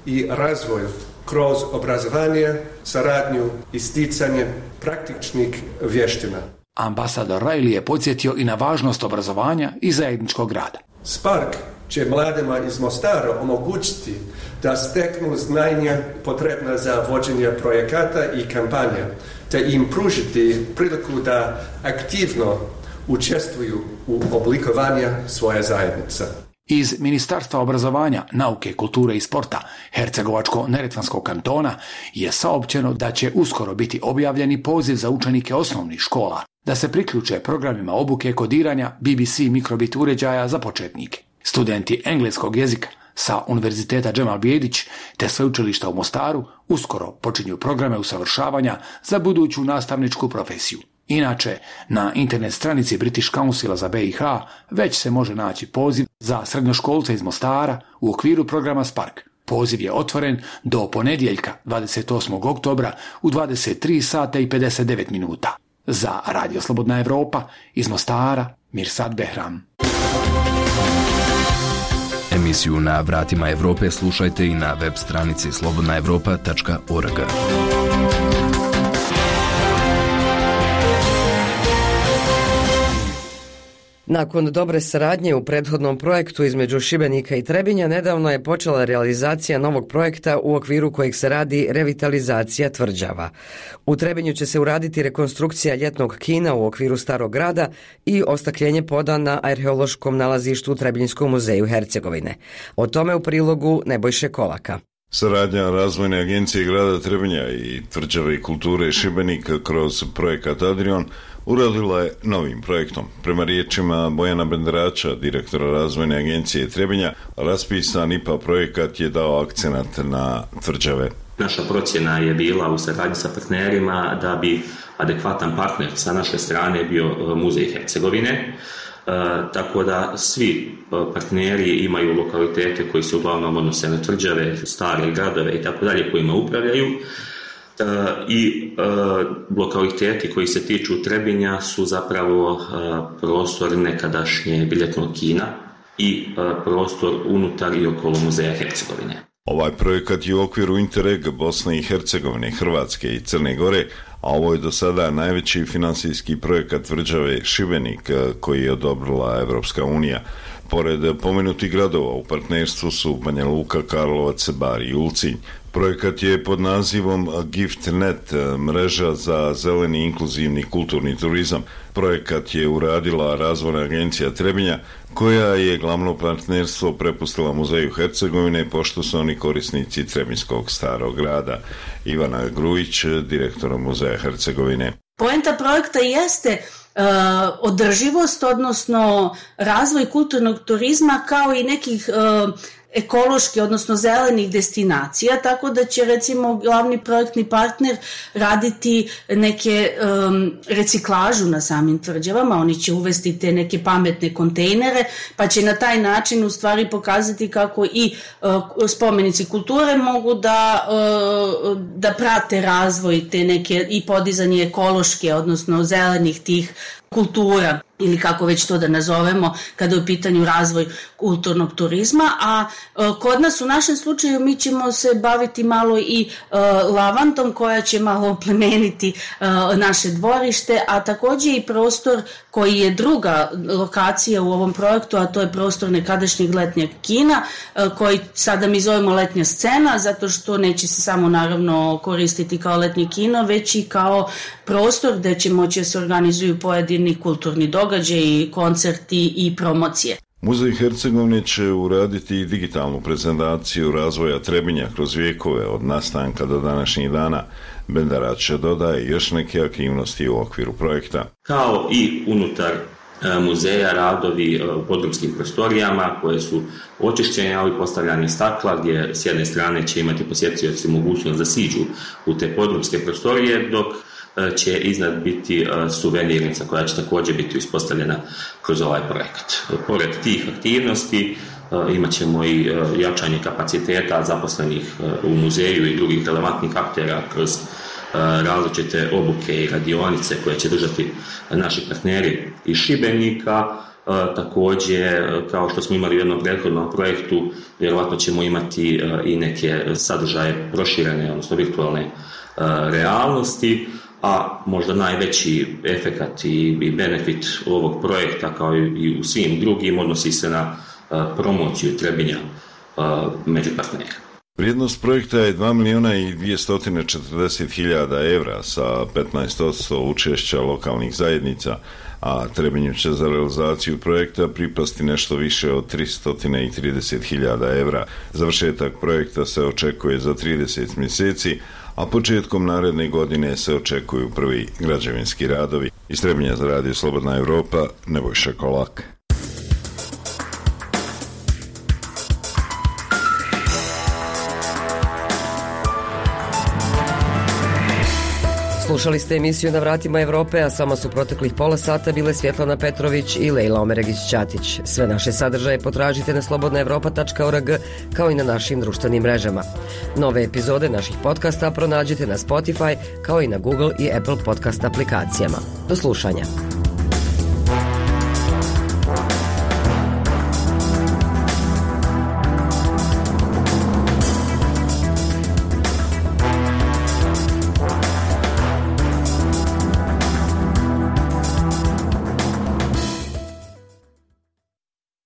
i razvoju kroz obrazovanje, saradnju i sticanje praktičnih vještina. Ambasador Riley je podsjetio i na važnost obrazovanja i zajedničkog rada. Spark će mladima iz Mostara omogućiti da steknu znanja potrebna za vođenje projekata i kampanja, te im pružiti priliku da aktivno učestvuju u oblikovanju svoje zajednice. Iz Ministarstva obrazovanja, nauke, kulture i sporta Hercegovačko-neretvanskog kantona je saopćeno da će uskoro biti objavljeni poziv za učenike osnovnih škola da se priključe programima obuke kodiranja BBC mikrobit uređaja za početnike. Studenti engleskog jezika sa Univerziteta Džemal Bijedić te sveučilišta u Mostaru uskoro počinju programe usavršavanja za buduću nastavničku profesiju. Inače, na internet stranici British Councila za BiH već se može naći poziv za srednjoškolce iz Mostara u okviru programa Spark. Poziv je otvoren do ponedjeljka 28. oktobra u 23 sata i 59 minuta. Za Radio Slobodna Evropa iz Mostara, Mirsad Behram. Emisiju Na vratima Evrope slušajte i na web stranici slobodnaevropa.org. Nakon dobre saradnje u prethodnom projektu između Šibenika i Trebinja, nedavno je počela realizacija novog projekta u okviru kojeg se radi revitalizacija tvrđava. U Trebinju će se uraditi rekonstrukcija ljetnog kina u okviru Starog grada i ostakljenje poda na arheološkom nalazištu u Trebinjskom muzeju Hercegovine. O tome u prilogu Nebojše Kolaka. Saradnja Razvojne agencije grada Trebinja i Tvrđave i kulture Šibenika kroz projekat Adrion uradila je novim projektom. Prema riječima Bojana Benderača, direktora Razvojne agencije Trebinja, raspisan IPA projekat je dao akcenat na tvrđave. Naša procjena je bila u saradnji sa partnerima da bi adekvatan partner sa naše strane bio Muzej Hercegovine, tako da svi partneri imaju lokalitete koji se uglavnom odnose na tvrđave, stare gradove i tako dalje kojima upravljaju. I lokaliteti koji se tiču Trebinja su zapravo prostor nekadašnje biletnog kina i prostor unutar i okolo Muzeja Hercegovine. Ovaj projekat je u okviru Interreg Bosne i Hercegovine, Hrvatske i Crne Gore, a ovo je do sada najveći finansijski projekat tvrđave Šibenik koji je odobrila Evropska unija. Pored pomenutih gradova u partnerstvu su Banja Luka, Karlovac, Bar i Ulcinj. Projekat je pod nazivom GiftNet, mreža za zeleni inkluzivni kulturni turizam. Projekat je uradila Razvojna agencija Trebinja, koja je glavno partnerstvo prepustila Muzeju Hercegovine, pošto su oni korisnici Trebinjskog Starog grada. Ivana Grujić, direktor Muzeja Hercegovine. Poenta projekta jeste održivost, odnosno razvoj kulturnog turizma kao i nekih ekološki, odnosno zelenih destinacija, tako da će recimo glavni projektni partner raditi neke reciklažu na samim tvrđavama, oni će uvesti te neke pametne kontejnere, pa će na taj način u stvari pokazati kako i spomenici kulture mogu da prate razvoj te neke i podizanje ekološke, odnosno zelenih tih kultura ili kako već to da nazovemo kada je u pitanju razvoj kulturnog turizma, a kod nas u našem slučaju mi ćemo se baviti malo i lavandom koja će malo oplemeniti naše dvorište, a također i prostor koji je druga lokacija u ovom projektu, a to je prostor nekadašnjeg letnjeg kina koji sada mi zovemo letnja scena, zato što neće se samo naravno koristiti kao letnje kino, već i kao prostor gdje će moći se organizuju pojedini kulturni događaji, koncerti i promocije. Muzej Hercegovine će uraditi digitalnu prezentaciju razvoja Trebinja kroz vijekove od nastanka do današnjih dana. Benderač dodaje još neke aktivnosti u okviru projekta. Kao i unutar muzeja radovi u podrumskim prostorijama koje su očišćenje, ali postavljanje stakla gdje s jedne strane će imati posjetioci mogućnost da siđu u te podrumske prostorije, dok će iznad biti suvenirnica koja će također biti uspostavljena kroz ovaj projekat. Pored tih aktivnosti imat ćemo i jačanje kapaciteta zaposlenih u muzeju i drugih relevantnih aktera kroz različite obuke i radionice koje će držati naši partneri iz Šibenika. Također, kao što smo imali u jednom prethodnom projektu, vjerojatno ćemo imati i neke sadržaje proširene, odnosno virtualne realnosti, a možda najveći efekat i benefit ovog projekta, kao i u svim drugim, odnosi se na promociju Trebinja među partnera. Vrijednost projekta je 2.240.000 evra sa 15% učešća lokalnih zajednica, a Trebinju će za realizaciju projekta pripasti nešto više od 330.000 evra. Završetak projekta se očekuje za 30 mjeseci, a početkom naredne godine se očekuju prvi građevinski radovi. Iz Trebinja za Radio Slobodna Evropa, Nebojša Kolak. Slušali ste emisiju Na vratima Evrope, a samo su proteklih pola sata bile Svjetlana Petrović i Lejla Omeregić-Ćatić. Sve naše sadržaje potražite na slobodnaevropa.org kao i na našim društvenim mrežama. Nove epizode naših podcasta pronađite na Spotify kao i na Google i Apple podcast aplikacijama. Do slušanja.